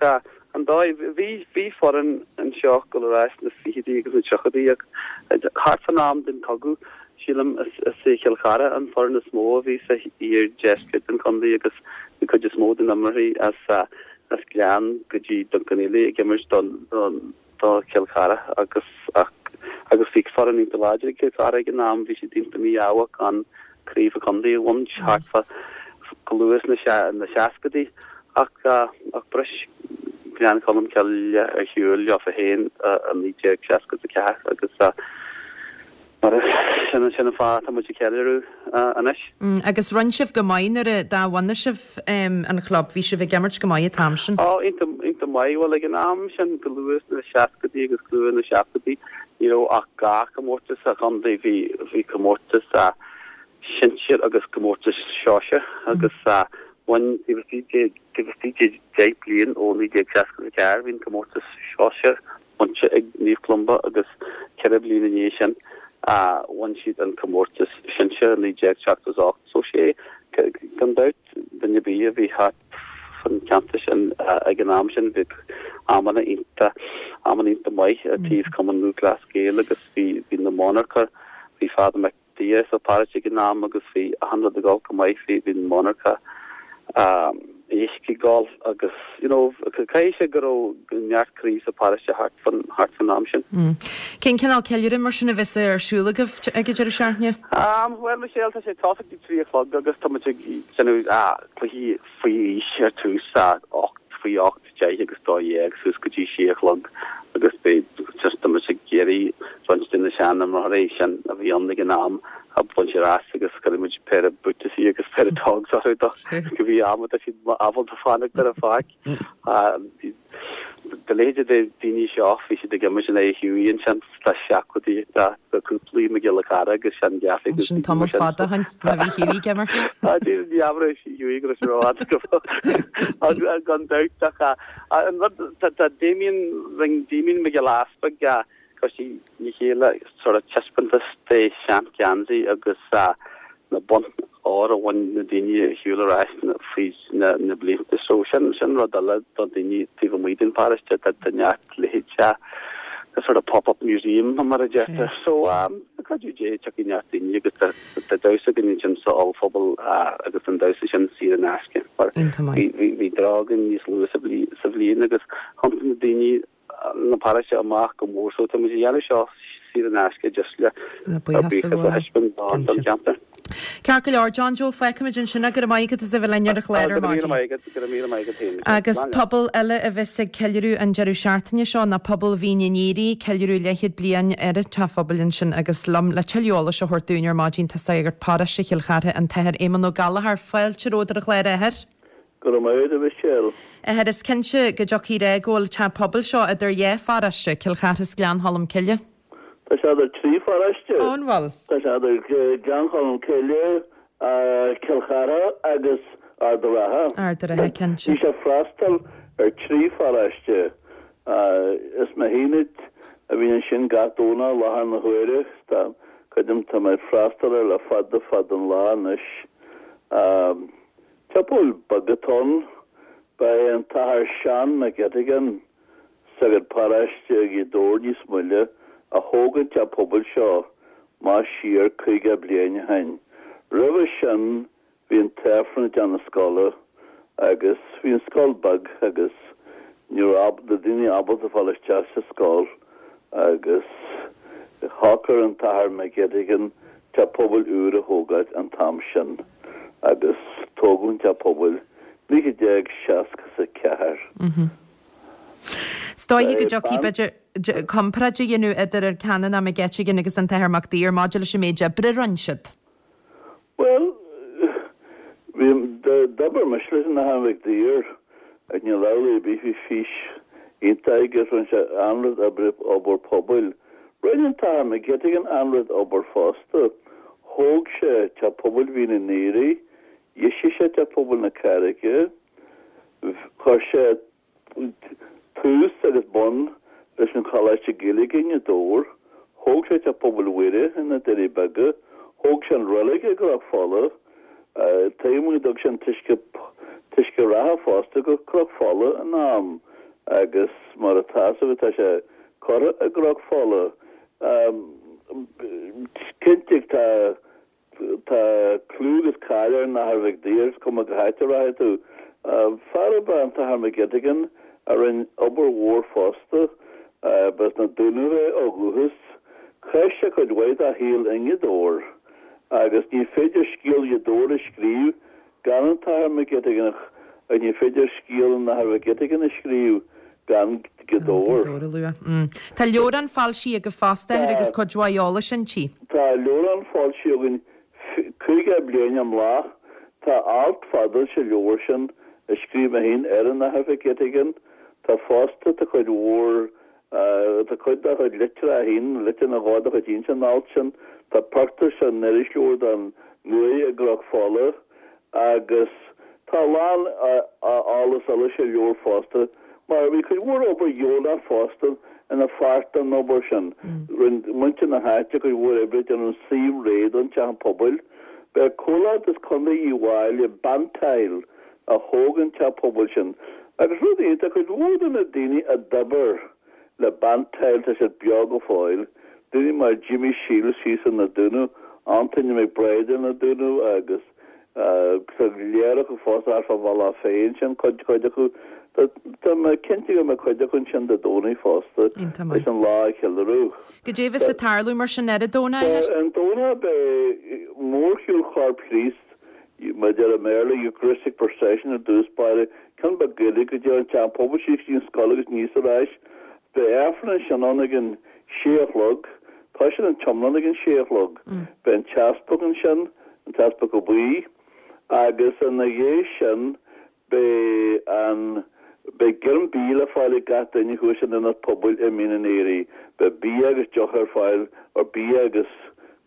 an dóigh, bhí, bhí foireann anseo ag dul ar ais sna fichidí agus na tríochaidí ach thart fán am den chogadh, sílim, is, is é Cill Chartha an foireann is mó a bhí sa iardheisceart den chontae agus bhí cuid is mó den imreoirí as, as Gleann go dtí Dunquin ag imirt don, don, do Chill Chartha agus, ach, agus bhí foireann iontach láidir ag Cill Chartha ag an am, bhí siad iontach mí-ádhach gan craobh an chontae a bhaint thart fá go luath sna seascaidí ach ach bhris Gleann Cholm Cille ar shiúl leofa féin i naoi déag seasca a ceathair agus mar sin sin an fáth atá muid ag ceiliúradh anois. Agus rinne sibh go maith nuair a d'athbhunaigh sibh an chlub, bhí sibh ag imirt go maith an t-am sin. Ó, iontach iontach maith. Bhuel ag an am sin go luath sna seascaidí agus go luath sna seachtóidí ní raibh ach dhá chomórtas sa chontae, bhí bhí comórtas sinsir agus comórtas sóisir agus bhain taobh istigh de taobh istigh de deich bliain ó naoi déag seasca a ceathair bhí an comórtas sóisir bainte ag Naomh Columba agus ceithre bliana ina dhiaidh sin bhain siad an comórtas sinsir i naoi déag seachtó is ocht. So sé gan dabht duine ar bith a bhí thart fan cheantar sin ag an am sin bhí amanna iontach amanna iontach maith i dtaobh Cumann Lúthchleas Gael agus bhí bhí na monarcha bhí Father Mac Dia sa pharóiste ag an am agus bhí achan rud ag dul go maith, bhí bhí an monarcha éisc ag dul agus you know caithfidh sé go raibh neart croí sa pharóiste thart fan thart fan am sin. Cén cineál ceiliúradh mar sin a bheas ar siúl agaibh ag an deireadh seachtaine? Um, well Michelle, tá sé ag tosach ag trí a chlog agus tá muid ag déanamh ah, cluichí faoi aois ar tús ocht faoi ocht, deich agus dó dhéag suas go dtí sé a chlog agus beidh just tá muid ag iarraidh roinnt de na seanimreoirí sin a bhí ann ag an am a bhaint ar ais agus cuirfidh muid péire buataisí agus péire togs orthu do go bhí am atá siad ábalta fanacht ar an pháirc. De leithéide de daoine seo bhí siad ag imirt in aghaidh Hughie ansin sna seachtóidí tá cúpla Mac Giolla Chearra agus Sean Gaffey agus Sin tamall fada ó shin má bhí Hughie ag imirt. Ní aimhreas Hughie go raibh sé rófhada go gan dabht ach an rud tá Damien rinne Damien Mac Giolla Easpaig chuir sé le chéile sort of taispeántas de sean-gheansaí agus na boinn óir a bhain na daoine ar shiúl ar ais fríd na blianta. So sin sin rud eile do daoine taobh amuigh den pharóiste tá tá neart leithéid a sort of pop-up museum mar a deirtear. So um, cuidiú Dé tiocfaidh neart daoine agus tá tá damhsa againn ansin sa ollphuball agus an damhsa sin saor in aisce. Mar bhí bhí bhí drág againn níos luaithe sa bhli sa bhliain agus thiontaigh na daoine na paróiste amach go mór so tá muid ag déanamh seo saor in aisce just le Le buíochas a buíochas a thaispeáint don don cheantar. Ceart go leor John Joe feicfimid ansin go raibh maith agat as a bheith linn ar an chlár ar Go raibh míle maidin. maith agat, go raibh míle maith agat féin. Agus Slán leat. pobal eile a bheas ag ceiliúradh an deireadh seachtaine seo ná pobal Mhín an Aoire, ceiliúradh leathchéad bliain ar an teach phobail ansin agus liom le tuilleadh eolais a thabhairt dúinn ar maidin tá sagart paróiste Chill Chartha an tAthair Éamonn Ó Gallchóir fáilte romhat ar an chlár a Athair. Go raibh maith agat a Mhichelle. Athair is cinnte go dtiocfaidh ré go bhfuil teach pobail seo idir dhá pharóiste, Cill Chartha is Gleann Cholm Cille. Tá sé idir trí pharóiste. Ó an bhfuil? Tá sé idir Gleann Cholm Cille, Cill Chartha agus Ard an Rátha. Ard an Rátha cinnte. Bhí sé freastal ar trí pharóiste. Is mé féin a bhí ansin gach Domhnach i láthair na huaire. Tá creidim tá mé ag freastal air le fada fada an lá anois. Teach pobail beag atá ann. Ba é an tAthair Seán McGettigan, sagart paróiste i Gaoth Dobhair níos moille, a thóg an teach pobail seo amach siar caoga bliain ó shin. Roimhe sin bhí an t-Aifreann i dteach na scoile agus bhí an scoil beag agus ní raibh na daoine ábalta fáil isteach sa scoil agus shocair an tAthair McGettigan teach pobail úr a thógáil an t-am sin agus tógadh an teach pobail naoi déag seasca is a ceathair. Is dóiche go dtiocfaidh b'fhéidir comparáid a dhéanamh idir an Canónach McGettigan agus an tAthair Mac Duibhir maidir leis an méid oibre a rinne siad. Bhuel, bhí d'obair mise leis an Athair Mac Duibhir ach níl amhlaidh ar bith bhí fís iontach aige rinne sé an-rud oibre obair pobail Rinne an tAthair McGettigan an-chuid obair fosta. Thóg sé Teach Pobail Mhín an Aoraigh, dheisigh sé Teach Pobail na Carraige, chuir sé tús agus bun leis an Choláiste Gaeilge i nGaoth Dobhair, thóg sé Teach Pobail Mhuire ina Doirí Beaga, thóg sé an reilig i gCnoc Fola, tuigim go dtug sé an t-uisce t-uisce reatha fosta go Cnoc Fola in am agus mar atá fhios agat tá sé curtha i gCnoc Fola. Cinnte tá tá clú agus cáil ar an Athair Mhic Daoir, is cuma cá háit a rachaidh tú. Fear ab ea an tAthair McGettigan a rinne obair mhór fosta. Ba as na Dúnaibh é ó dhúchas. Chaith sé cuid mhaith dá shaol i nGaoth Dobhair agus ní féidir scéal Ghaoth Dobhair a scríobh gan an tAthair McGettigan agus ní féidir scéal an Athar McGettigan a scríobh gan Gaoth Dobhair. Gaoth Dobhair a lua. Tá leabhrán foilsithe agaibh fosta, a Athair, agus cuid mhaith eolais inti. Tá leabhrán foilsithe againn caoga bliain amach. Tá alt fada sa leabhar sin a scríobh mé féin ar an Athair McGettigan. Tá fosta, tá cuid mhór, tá cuid dá chuid litreacha féin, litir nó dhó dá chuid féin san alt sin. Tá pictiúr san irisleabhar den uaigh i gCnoc Fola. Agus tá a lán eolas eile sa leabhar fosta, mar bhí cuid mhór obair dheonach fosta ina pháirt den obair sin. Rinne muintir na háite cuid mhór oibre ag déanamh suíomh réidh don teach an pobail. B'é comhlacht as Contae Uíbh Fhailí, Bantile, a thóg an teach pobail sin. Agus rud iontach, cuid mhór de na daoine a d'oibir le Bantile, tá siad beo go fóill, daoine mar Jimmy Shiels thíos in Na Dúnaibh, Antaine McBride in Na Dúnaibh agus tá go leor acu fosta thart fán Bhealach Féich ansin, cuid cuid acu. Tá mé cinnte go mbeidh cuid acu ansin Dé Domhnaigh fosta leis an lá a cheiliúradh. Goidé bheas ag tarlú mar sin ar an Domhnach, a Athair? Ar an Domhnach beidh mórshiúl Chorp Chríost, mar a deir i mBéarla, Eucharistic Procession ar dtús báire, ceann beag Gaeilge go dtí an Teach an Phobail síos go dtí an scoil agus aníos ar ais. Beidh Aifreann ansin ann ag an sé a chlog. Toisíonn an t-iomlán ag an sé a chlog. Beidh an t-easpag ansin, an tEaspag Ó Baoill, agus ina dhiaidh sin beidh an, beidh greim bídh le fáil ag gach duine thuas in Ionad Pobail i Mín an Aoraigh. Beidh bia agus deoch ar fáil, or bia agus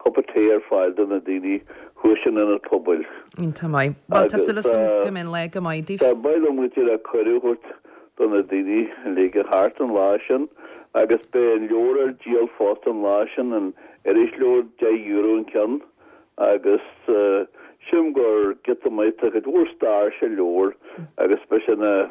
cupa tae ar fáil do na daoine thuas in Ionad Pobail. Iontach maith. Bhuel, tá súil agam go mbeidh an lá go maith daoibh. Ba mhaith liom go díreach cuireadh a thabhairt do na daoine uilig a theacht an lá sin agus beidh an leabhar ar díol fosta an lá sin, an irisleabhar, deich euro an ceann agus sílim gur giota maith, tá cuid mhór stair sa leabhar agus beidh sé ina,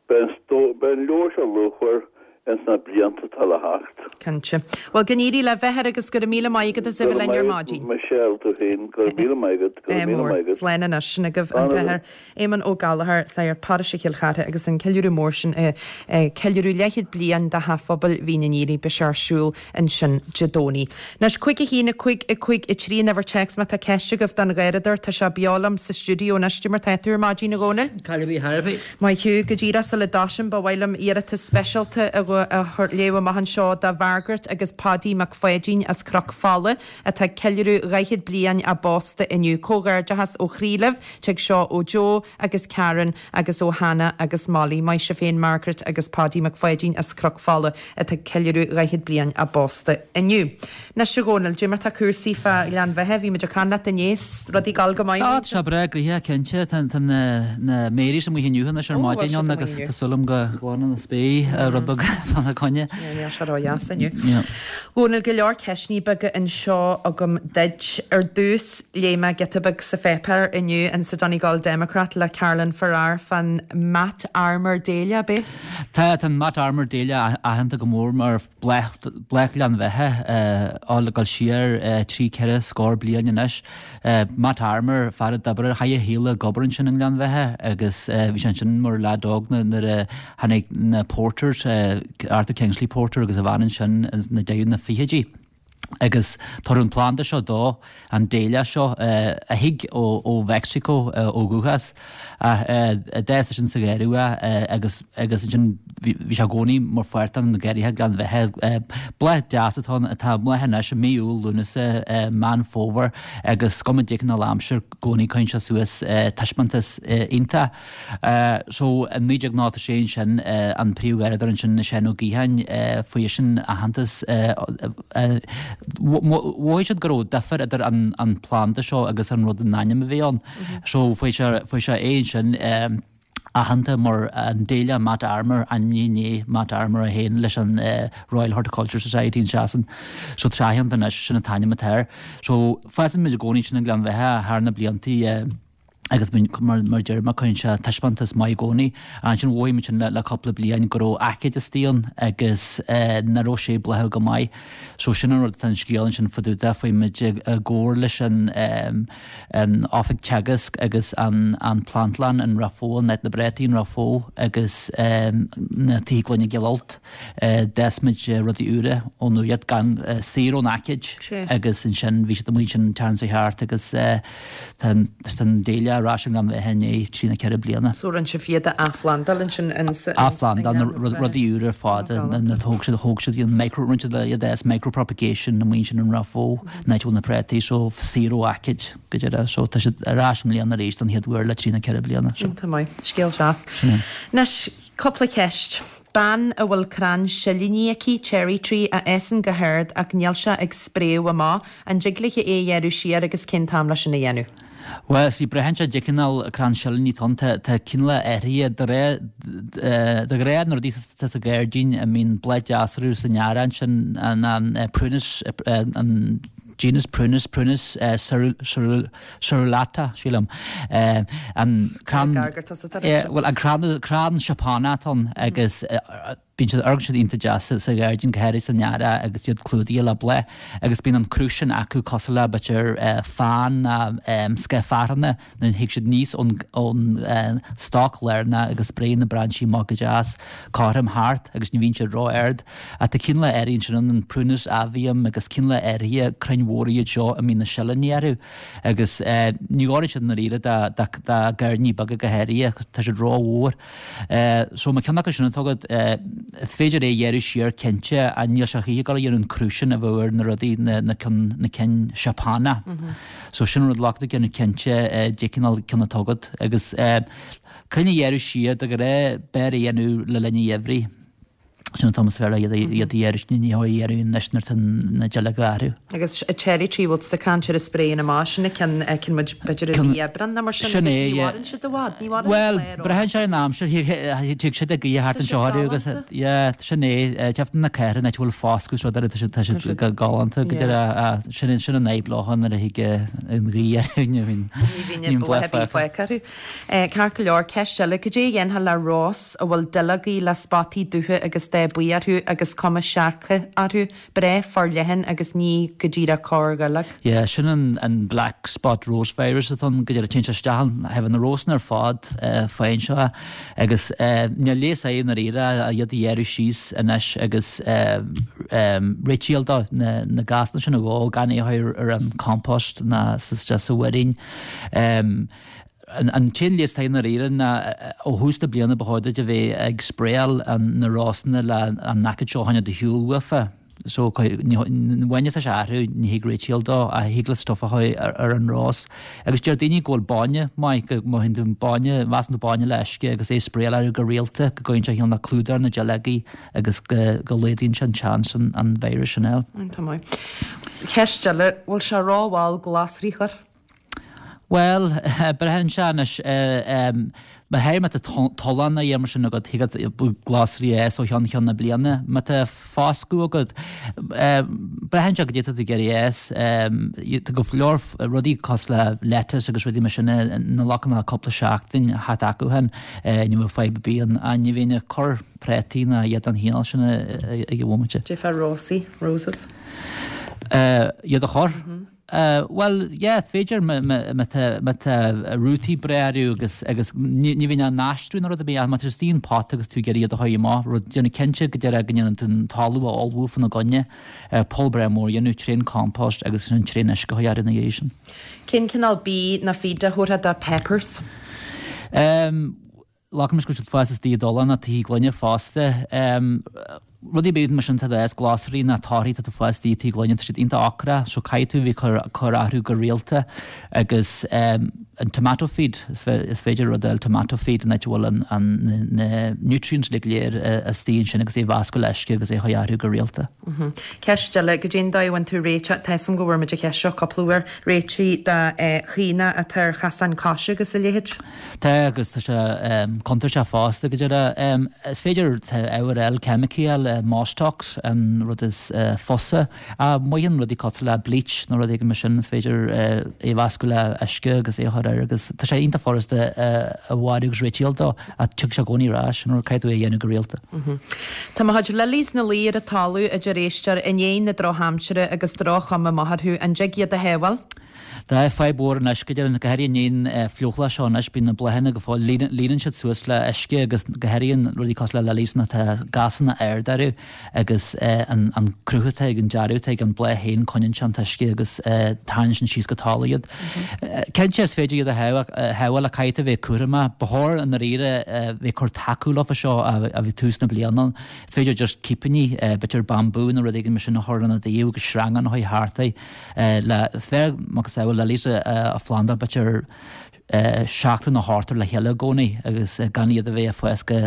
beidh an, beidh an leabhar seo luachmhar ins na blianta atá le theacht. Cinnte. Bhuel, go n-éirí libh, a Athair, agus go raibh míle maith agat as a Go bheith raibh linn ar maith maidin. agat, Michelle, tú féin. Go raibh míle maith agat. Go raibh míle maith agat. Slán anois. Sin agaibh an Slán agat. tAthair Éamonn Ó Gallchóir, sagart paróiste Chill Chartha agus an ceiliúradh mór sin ag ceiliúradh leathchéad bliain de Theach Phobail Mhín an Aoraigh. Beidh sé ar siúl ansin Dé Domhnaigh. Anois, cúig a haon, a cúig, a cúig, a trí, an uimhir téacs má tá ceist agaibh don Gharradóir. Tá sé beo liom sa stiúideo anois. Cad é mar tá tú ar maidin, a Dhónaill? Caill bhí thar bith. Maith thú. Go díreach sula dtosaím, ba mhaith liom iarratas speisialta a léamh amach anseo do Mhargaret agus Paudie Mac Pháidín as Cnoc Fola atá ag ceiliúradh dhaichead bliain a bpósta inniu. Comhghairdeachas ó chroí libh. Tig seo ó Joe agus Karen agus ó Hannah agus Molly. Maith sibh féin Margaret agus Paudie Mac Pháidín as Cnoc Fola atá ag ceiliúradh dhaichead bliain a bpósta inniu. Anois a Dhónaill, dé mar tá cúrsaí fá Ghleann Bheatha, bhí muid ag caint leat inné, rudaí ag dul go maith? Tá sé breá gnoitheach cinnte, tá na Marys amuigh inniu anois ar maidin ann agus tá súil agam go nglanann an spéir rud beag fána choinne. Níl sé ródheas inniu. Dhónaill, go leor ceisteanna beaga anseo agam duit. Ar dtús, léigh mé giota beag sa pháipéar inniu in sa Donegal Democrat le Carolyn Farrar fán Matt Armour Dahlia, ab é? Tá, tá an Matt Armour Dahlia aitheanta go mór mar bhláth Ghleann Bheatha, á le dul siar trí ceithre scór bliain anois. Matt Armour, fear a d'oibrigh, chaith a shaol ag obair ansin i nGleann Bheatha agus bhí sé ansin mar leaid óg nuair a tháinig na Porters, Arthur Kingsley Porter agus a bhean ansin ina deireadh na fichidí. Agus tugadh an planda seo dó, an dahlia seo, a thig ó Mheicsiceo ó dhúchas, ach a d'fhás ansin sa gharradh é agus agus ansin bhí sé i gcónaí mar pháirt de na garraithe Ghleann Bheatha. Bláth deas atá ann, atá ag bláthú anois i mí Iúil, Lúnasa, Meán Fómhair agus is cuma caidé cineál aimsir, i gcónaí cuireann sé suas taispeántas iontach. So i naoi déag nócha sé ansin an príomhgharradóir ansin Seán Ó Gaotháin fuair seisean aitheantas mhothaigh siad go raibh difear idir an an planda seo agus an rud an ainm a bhí ann. So fuair sé fuair sé é ansin aitheanta mar an Dahlia Matt Armour ainmnithe i ndiaidh Matt Armour é féin leis an Royal Horticulture Society in Sasain. So tá sé aitheanta anois sin an t-ainm atá air. So fásann muid i gcónaí ansin i nGleann Bheatha thar na bliantaí agus mar mar deir mé cuireann sé taispeántas maith i gcónaí. Ansin mhothaigh muid sin le le cúpla bliain go raibh aicíd istigh ann agus nach raibh sé ag bláthú go maith. So sin an rud atá an scéal ansin fá dtaobh de, fuair muid i gcomhar leis an an oifig Teagasc agus an an Plantlann in Ráth Bhoth, an áit na bpréataí in Ráth Bhoth agus na Tithe Gloine Cill Ailt. D'fhás muid rudaí úra ón úr gan saor ón aicíd agus ansin bhí siad amuigh ansin an tseachtain seo thart agus Tá an dahlia ar ais i nGleann Bheatha i ndiaidh trí nó ceithre bliana. So rinne sibh iad a athphlandáil ansin in sa Athphlandáil na rudaí úra ar fad nuair a thóg siad thóg siad an micro rinne siad iad as micropropagation amuigh ansin in Ráth Bhoth an áit a bhfuil na préataí so saor ó aicíd go deireadh so tá siad ar ais i mbliana arís don chéad uair le trí nó ceithre bliana. Iontach maith. Scéal deas. Anois cúpla ceist. Bean a bhfuil crann silíní aici, cherry tree, a fhásann go hard ach níl sé ag spréadh amach, an dtig léi é a ghearradh siar agus cén t-am leis sin a dhéanamh? Bhuel, see, braitheann sé caidé cineál crann silíní atá ann. Tá, tá cineál athraithe de réir, de ghnáth na rudaí atá sa ghairdín a mbíonn bláth deas orthu san earrach ansin, an, an prunus, an genus Prunus, Prunus serrulata, sílim. An crann, bhuel, an crann, crann Seapánach atá ann agus bíonn siad, amharcann siad iontach deas sa ghairdín, go háirithe san earrach agus iad clúdaithe le bláth agus bíonn an cruth sin acu cosúil le b'fhéidir fan ná scoth fearthainne nuair a thig siad aníos ón ón stoc lárnach agus spréann na brainsí amach go deas cothrom thart agus ní bhíonn siad ró-ard. Ach tá cineál áirithe ansin ann, an Prunus avium agus cineál áirithe crainn mhóra iad seo a mbíonn na silíní orthu agus ní oireann siad i ndáiríre do ghairdíní beaga go háirithe, tá siad rómhór. So má ceann acu sin atá agat, is féidir é a ghearradh siar cinnte ach níl sé choíche ag dul a dhéanamh an cruth sin a bheadh ar na rudaí, na cinn Seapánach. So sin an rud le déanamh cinnte caidé cineál ceann atá agat agus crainn a ghearradh siar de ghnáth b'fhearr a dhéanamh le linn an gheimhridh. Sin an t-am is fearr iad a ghearradh, ní hé a ghearradh anois nuair atá na duilleoga ag athrú. Agus cherry tree, bhfuil tusa ag caint ar a spréann amach, sin an ceann a fheiceann muid b'fhéidir i mí Aibreán nó mar sin Sin agus é, ní yeah. mhaireann siad i bhfad, ní mhaireann Bhuel, an clár braitheann sé ar an aimsir, thig siad ag gaoth thart anseo orthu agus, yeah, sin é, deimhin na cathrach an áit a bhfuil foscadh is rud eile, tá siad, tá siad go galánta go deireadh, sin, sin an fhadhb leo nuair a thig an ghaoth orthu, ní bhíonn, Ní bhíonn ní bhíonn bláth bláth ar bith fágtha. fágtha orthu. Ceart go leor, ceist eile, cad é a dhéanfá le rós a bhfuil duilleogaí le spotaí dubha agus dath buí orthu agus cuma seargtha orthu, breá forleathan agus ní go díreach corrdhuilleog? Yeah, sin an an black spot rose virus atá ann, go deireadh téann sé isteach ann, thaobh na rósanna ar fad faigheann sé é agus níl leigheas air i ndáiríre ach iad a ghearradh síos anois agus réitíl dó na na gásanna sin a dhó gan é a chur ar an compost ná sa sa mhuirín. An t-aon leigheas atá i ndáiríre ná ó thús na bliana ba chóir duit a bheith ag spraeáil na rósanna le an aicíd seo a choinneáil do shiúl uafa. So ní atá sé athrú ní thig réitíl dó ach thig le stuif a chur ar an rós. Agus deir daoine go bhfuil bainne maith, go má théann tú bainne, meascann tú bainne le uisce agus é a spraeáil orthu go rialta go gcuireann sé cineál clúdach ar na duilleogaí agus go go laghdaíonn sé an seans an an virus sin a fháil. Tá maith. Ceist eile, bhfuil sé rómhall glasraí a chur? Bhuel, braitheann sé anois, má théir má tá tollán a dhéanamh mar sin agat, thig leat glasraí a fhás ó cheann ceann na bliana. Má tá foscadh agat, braitheann sé caidé atá tú ag iarraidh a fhás. Tá go leor rudaí cosúil le lettuce agus rudaí mar sin ní ghlacann ach cúpla seachtain a theacht acu féin, ní bheadh fadhb ar bith ann. Ach ní bhíonn ag cur prátaí ná iad den chineál sin ag an bhomaite. Cad é fá rósaí, roses? Iad a chur? Bhuel, yeah, is féidir má tá rútaí breá orthu agus agus ní bhíonn á n-aistriú nó rud ar bith ach má tá siad istigh in pota agus tú ag iarraidh iad a chur amach, rud, déanamh cinnte go deireadh go ndéanann tú an talamh a ullmhú fána gcoinne, poll breá mór a dhéanamh trén compost agus ansin trén uisce a chur orthu ina dhiaidh sin. Cén cineál bídh nó feed a thabharfá do peppers? Glacaim leis go bhfuil siad ag fás istigh i dtollán nó tuí gloine fosta. Rudaí ar bith mar sin atá ag fás, glasraí nó torthaí atá ag fás istigh i tuí gloine, tá siad iontach ocrach so caithfidh tú a bheith ag cur orthu go rialta agus an tomato feed, is féidir rud a fháil tomato feed an áit a bhfuil an na nutrients uilig go léir istigh ansin agus é a mheascadh le uisce agus é a chur orthu go rialta. Ceist eile, goidé an dóigh a bhfuil tú réiteach, tá 'fhios a'm go bhfuair muid an cheist seo cúpla uair, réitigh do chaonaigh atá ar chasáin coise agus a leithéid? Tá agus tá sé contúirteach fosta go deireadh. Is féidir tá ábhar eile ceimicí eile, Mostox an rud is fusa. Ach maitheann rudaí cosúil le bleach nó rud éigin mar sin, is féidir é a mheascadh le uisce agus é a chur air agus tá sé iontach furasta a mharú agus réiteáil dó ach tiocfaidh sé i gcónaí ar ais, an rud caithfidh tú é a dhéanamh go rialta. Tá mo chuid lilies 'na luí ar an talamh a deir éisteoir i ndiaidh na drochaimsire agus droch-chuma amach orthu. An dtig iad a shábháil? Tá fadhb mhór anois, go deimhin, go háirithe i ndiaidh an fliuchlá seo anois, bíonn na bláthanna go fóill, líonann siad suas le uisce agus go háirithe rudaí cosúil le lilies tá gasanna ard orthu agus an cruth atá ag an dearadh atá ag an bláth féin coinníonn sé an t-uisce agus tarraingíonn sin síos go talamh iad. Cinnte is féidir iad a shábháil ach caithfidh tú a bheith cúramach. Ba chóir i ndáiríre bheith ag cur tacú leofa seo a bhí tús na bliana. Is féidir just cipíní, b'fhéidir bambú nó rud éigin mar sin a chur ina dtaobh agus sreangán a chur thart é le bheith macasamhail lilies a phlandáil b'fhéidir seachtar nó ochtar le chéile i gcónaí agus gan iad a bheith ag fás go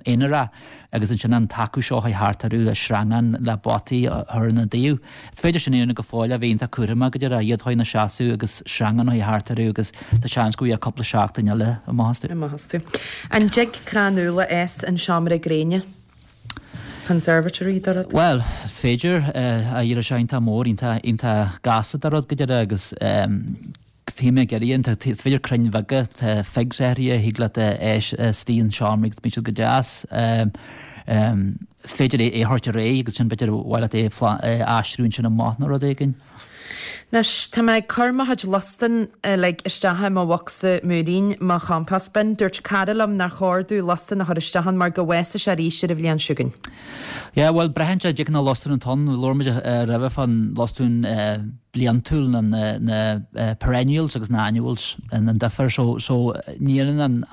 haonarach agus ansin an tacú seo a chur thart orthu, sreangán le potaí a chur ina dtaobh. Is féidir sin a dhéanamh go fóill ach bheith iontach cúramach go deireadh, iad a chur ina seasamh agus sreangán a chur thart orthu agus tá seans go bhfaighidh cúpla seachtain eile amach astu. Amach astu. An dtig crann úll a fhás in seomra gréine? Conservatory do rud? Bhuel, is féidir, ach éireoidh sé iontach mór, iontach, iontach gasta do rud go deireadh agus tá mé ag iarraidh, tá, is féidir crainn bheaga, tá figs áirithe a thig leat a fhás istigh in seomra agus bíonn siad go deas. Is féidir é a thabhairt ar aghaidh agus sin b'fhéidir ba mhaith leat é a aistriú ansin amach nó rud éigin. Anois, tá mé ag cur mo chuid lustan uilig isteach i mo bhocsa múirín, mo chompost bin. Dúirt cara liom nár chóir domh lustan a chur isteach ann mar go bhfásfaidh sé arís ar an bhliain seo chugainn. Yeah, bhuel, braitheann sé cén cineál lustán atá ann. Labhair muid roimhe fán lustán bliantúil, na, na, na perennials agus na annuals, an difear. So, so ní dhéanann an,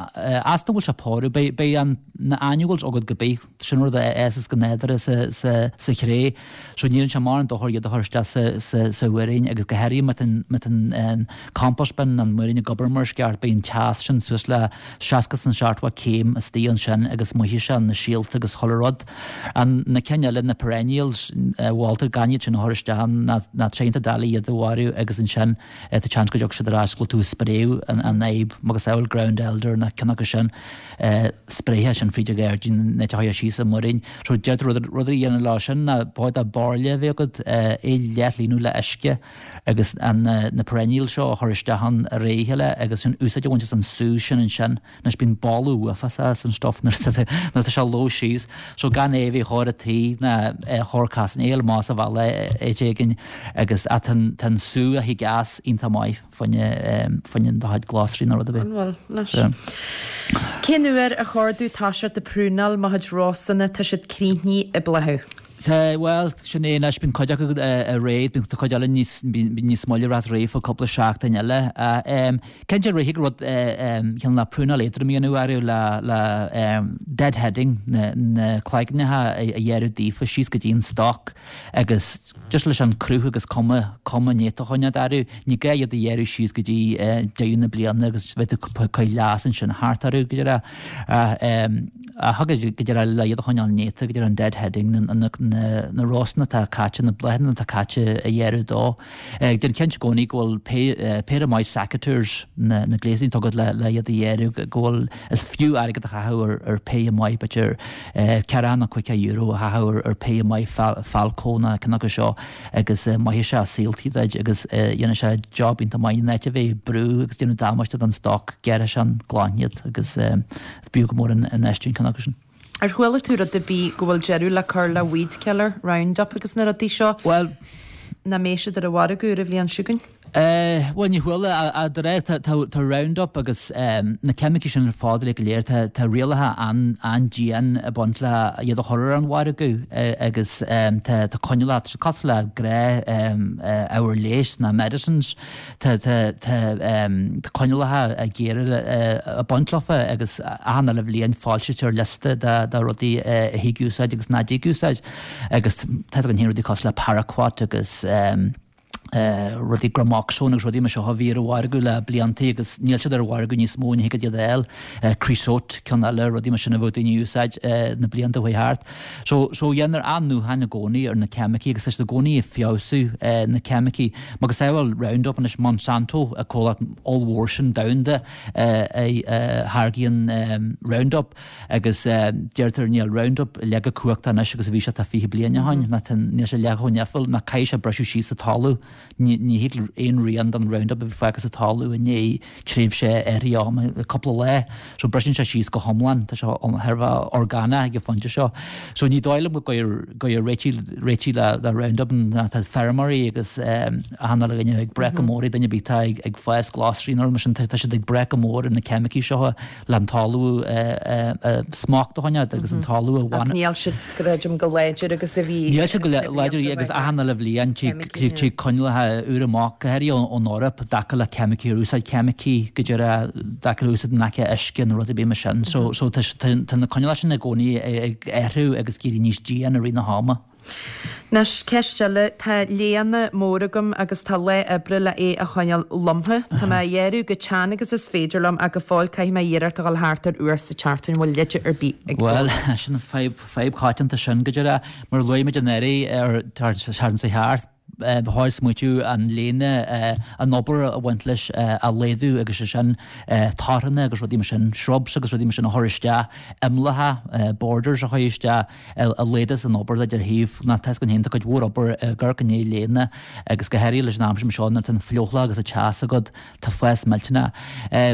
as nach bhfuil sé poru, beidh, beidh an, na annuals agat go bith. Sin rud a fhásas go nádúrtha sa, sa, sa chré. So ní dhéanann sé mórán dochair iad a chur isteach sa, sa, sa mhúirín agus go háirithe má tá an, má tá an compost bin, an múirín ag obair mar is ceart, beidh an teas sin suas le seasca is seachtó céim istigh ansin agus mairfidh sé na síolta agus chuile rud. An, na cinn eile, na perennials, mholtar gan iad sin a chur isteach ann, ná, ná tá sé iontach doiligh iad a mharú agus ansin tá seans go dtiocfaidh siad ar ais go bhfuil tú ag spréadh an, an fhadhb, macasamhail ground elder na cinn acu sin. spréithe sin fríd an ghairdín nó a chur síos sa mhuirín. So deirtear rud rud a dhéanamh leo sin ná ba bairille a bheith agat, é a leathlíonadh le uisce agus an na perennials seo a chur isteach ann i rith a chéile agus sin úsáid a bhaint as an sú sin ansin. Anois bíonn boladh uafásach as an stuff nuair atá nuair atá sé lobhtha síos. So gan é a bheith chóir a tí ná chóir casan é amach sa bhaile áit éigin agus tá an tá an sú a thig as iontach maith. Fá choinne do chuid glasraí nó rud ar bith. An bhfuil? Anois. Cén uair ar chóir domh toiseacht ag prúnáil mo chuid rósanna, tá siad críochnaithe ag bláthú? Tá, bhuel, sin é anois, bíonn cuid acu réidh, bíonn cuid eile níos, bíonn níos moille ras réidh fá cúpla seachtain eile. Cinnte rithfidh rud cineál le prúnáil éadrom a dhéanamh orthu le, le deadheading, na, na cloigneacha a ghearradh daofa síos go dtí an stoc agus just leis an cruth agus cuma, cuma néata a choinneáil orthu. Ní gá iad a ghearradh síos go dtí deireadh na bliana agus bheith tú ag cur leas ansin thart orthu go deireadh. Ach go deireadh le iad a choinneáil néata, go deireadh an deadheading, na rósanna atá caite, na bláthanna atá caite a ghearradh dó. Déan cinnte i gcónaí go bhfuil péire maith secateurs, na gléasanna atá agat le iad a ghearradh, go bhfuil, is fiú airgead a chaitheamh ar péire maith, b'fhéidir ceathracha nó caoga euro a chaitheamh ar péire maith Felco nó ceann acu seo agus mairfidh sé saoltaí duit agus dhéanfaidh sé job iontach maith in áit a bheith ag brú agus déanamh damáiste don stoc, gearrfaidh sé an glan iad agus b'fhiú go mór an infheistiú in ceann acu sin. Ar chuala tú rud ar bith go bhfuil deireadh le cur le weed killer, Roundup agus na rudaí seo? Bhuel, nach mbeidh siad ar an mhargadh ar an bhliain seo chugainn? Bhuel, ní chuala, ach de réir, tá Roundup agus na ceimicí sin ar fad uilig go léir, tá rialacha an-dian ag baint le iad a chur ar an mhargadh agus tá coinníollacha, tá siad cosúil le gnáth-ábhar leighis ná medicines, tá coinníollacha géara ag baint leofa agus achan uile bhliain foilsítear liosta de rudaí a thig úsáid agus nach dtig úsáid agus tá a fhios againn féin rudaí cosúil le paraquat agus rudaí Gramoxone agus rudaí mar seo a bhí ar an mhargadh le bliantaí agus níl siad ar an mhargadh níos mó, ní thig iad a fháil. Creosote, ceann eile, rudaí mar sin a bheadh daoine a úsáid na blianta a chuaigh thart. So, so dhéantar athnuachan i gcónaí ar na ceimicí agus tá siad i gcónaí ag feabhsú na ceimicí. Macasamhail Roundup anois Monsanto, an comhlacht ollmhór sin domhanda a tháirgíonn Roundup agus deirtear níl Roundup leath chomh cumhachtach anois agus a bhí sé tá fiche bliain ó shin, níl sé leath chomh nimhiúil ná caithfidh sé briseadh síos sa talamh. Ní thig aon rian den Roundup a bheith fágtha sa talamh i ndiaidh tréimhse áirithe ama, cúpla lá. So briseann sé síos go hiomlán. Tá sé thar a bheith orgánach ag an phointe seo. So ní dóigh liom go gcuirfidh réitigh réitigh le le Roundup ná tá feirmeoirí agus achan uile dhuine ag brath go mór ar duine ar bith atá ag ag fás glasraí nó rud mar sin tá siad ag brath go mór ar na ceimicí seo le an talamh smacht a choinneáil agus an talamh a Ach níl siad creidim chomh láidir agus a bhí Níl siad chomh láidir agus achan uile bhliain tig coinníollacha úra amach, go háirithe ón Eoraip, i dtaca le ceimicí, ar úsáid ceimicí go díreach, i dtaca le úsáid in aice uisce nó rud ar bith mar sin. So so tá tá na coinníollacha sin i gcónaí ag athrú agus ag éirí níos dian i rith na hama. Anois, ceist eile, tá léana mór agam agus tá lá oibre le é a choinneáil lomtha. Tá mé á ghearradh chomh teann agus is féidir liom ach go fóill caithfidh mé iarracht a dhul thart ar uair sa tseachtain. Bhfuil leide ar bith ag Bhuel, sin an fadhb, fadhb choitianta sin go díreach. Mar a luaigh muid anuraidh ar an tseachtain seo thart, ba chóir smaoitiú an léana, an obair a bhaint leis a laghdú agus sé sin torthanna agus rudaí mar sin, shrubs agus rudaí mar sin a chur isteach, imleacha, borders a chur isteach a laghdós an obair duit ar thaobh ná tá a fhios againn féin tá cuid mhór obair ag amharc i ndiaidh léana agus go háirithe leis an aimsir seo nuair atá an fliuchlach agus an teas agat tá fás millteanach.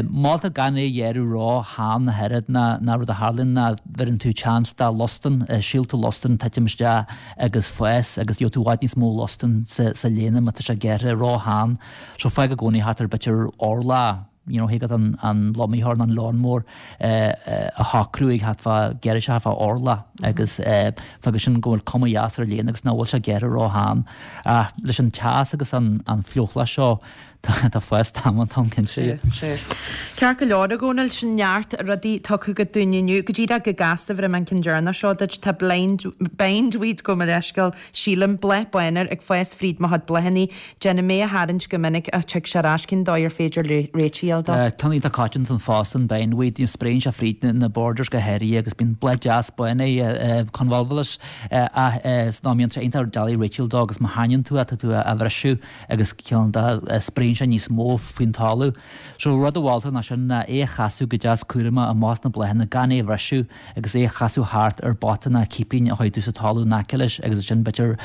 Moltar gan é a ghearradh ró-theann ach oiread ná ná rud a tharlaíonn ná bheireann tú chance do lostan, síolta lostain titim isteach agus fás agus gheobhaidh tú i bhfad níos mó lostain sa sa léana má tá sé gearrtha ró-theann. So fág i gcónaí thart ar b'fhéidir orlach, you know, thig leat an an lomaitheoir nó an lawnmower a shocrú ag thart fá, gearrfaidh sé thart fá orlach agus fágfaidh sin go bhfuil cuma dheas ar an léana agus nach bhfuil sé gearrtha ró-theann. Ach leis an teas agus an an fliuchlach seo, Tá fás damanta ann, cinnte. Sea. Ceart go leor, a Dhónaill, sin neart rudaí tugtha agat dúinn inniu. Go díreach go gasta, bhéarfaidh mé an ceann deireanach seo duit. Tá blind, bindweed, gabh mo leithscéal, sílim, bláth bán air, ag fás fríd mo chuid bláthanna. Déanaim é a tharraingt go minic ach tig sé ar ais. Cén dóigh ar féidir réiteach a fháil dó? Ceann iontach coitianta fosta an bindweed, you know, spréann sé fríd na borders go háirithe agus bíonn bláth deas bán air, convolvulus, ach is ná mbíonn sé iontach doiligh réiteach dó agus má shaineann tú é tá tú á bhriseadh. agus cineál de spréann sé níos mó faoin talamh. So rud a mholtar ná sin ná é a chasadh go deas cúramach amach as na bláthanna gan é a bhriseadh agus é a chasadh thart ar bpota ná cipín a chuirfidh tú sa talamh in aice leis agus ansin b'fhéidir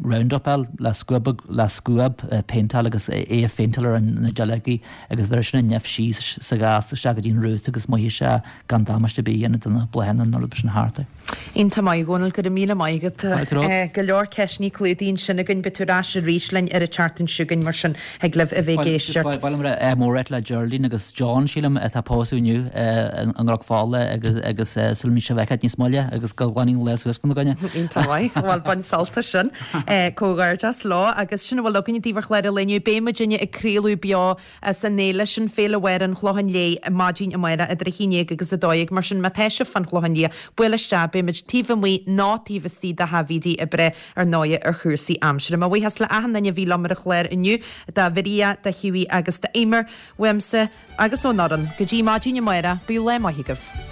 Roundup a fháil le scuab le scuab péinteáil agus é a phéinteáil ar na duilleogaí agus bhéarfaidh sin an nimh síos sa ghas isteach go dtí an roots agus mairfidh sé gan damáiste ar bith a dhéanamh do na bláthanna nó rud sin thart air. Iontach maith, a Dhónaill, go raibh míle maith agat. Fáilte romhat. Go leor ceisteanna clúdaithe ansin againn. Beidh tú ar ais arís linn ar an tseachtain seo chugainn mar sin thig libh a bheith ag éisteacht. Ba mhaith liom a rá ádh mór ort le Geraldine agus John, sílim, atá ag pósadh inniu i gCnoc Fola agus agus súil agam sibh a fheiceáil níos moille agus go nglanfaidh an lá suas fána gcoinne. Iontach maith. Bhuel, bain sult as sin. Comhghairdeas leo agus sin a bhfuil againn daoibh ar chlár an lae inniu. Beidh muidinne ag craoladh beo as an fhéile sin, Féile Bharr an Chlocháin Léith, maidin amárach idir a haon déag agus a dó dhéag. Mar sin, má tá sibh fán Chlochán Liath, buail isteach, beidh muid taobh amuigh nó taobh istigh de Theach Bhídí ag brath ar ndóighe ar chúrsaí aimsire. Mo bhuíochas le achan duine a bhí liom ar an chlár inniu, do Mharia, do Hughie agus d'Eimear, uaimse agus ón fhoireann. Go dtí maidin amárach, bíodh lá maith agaibh.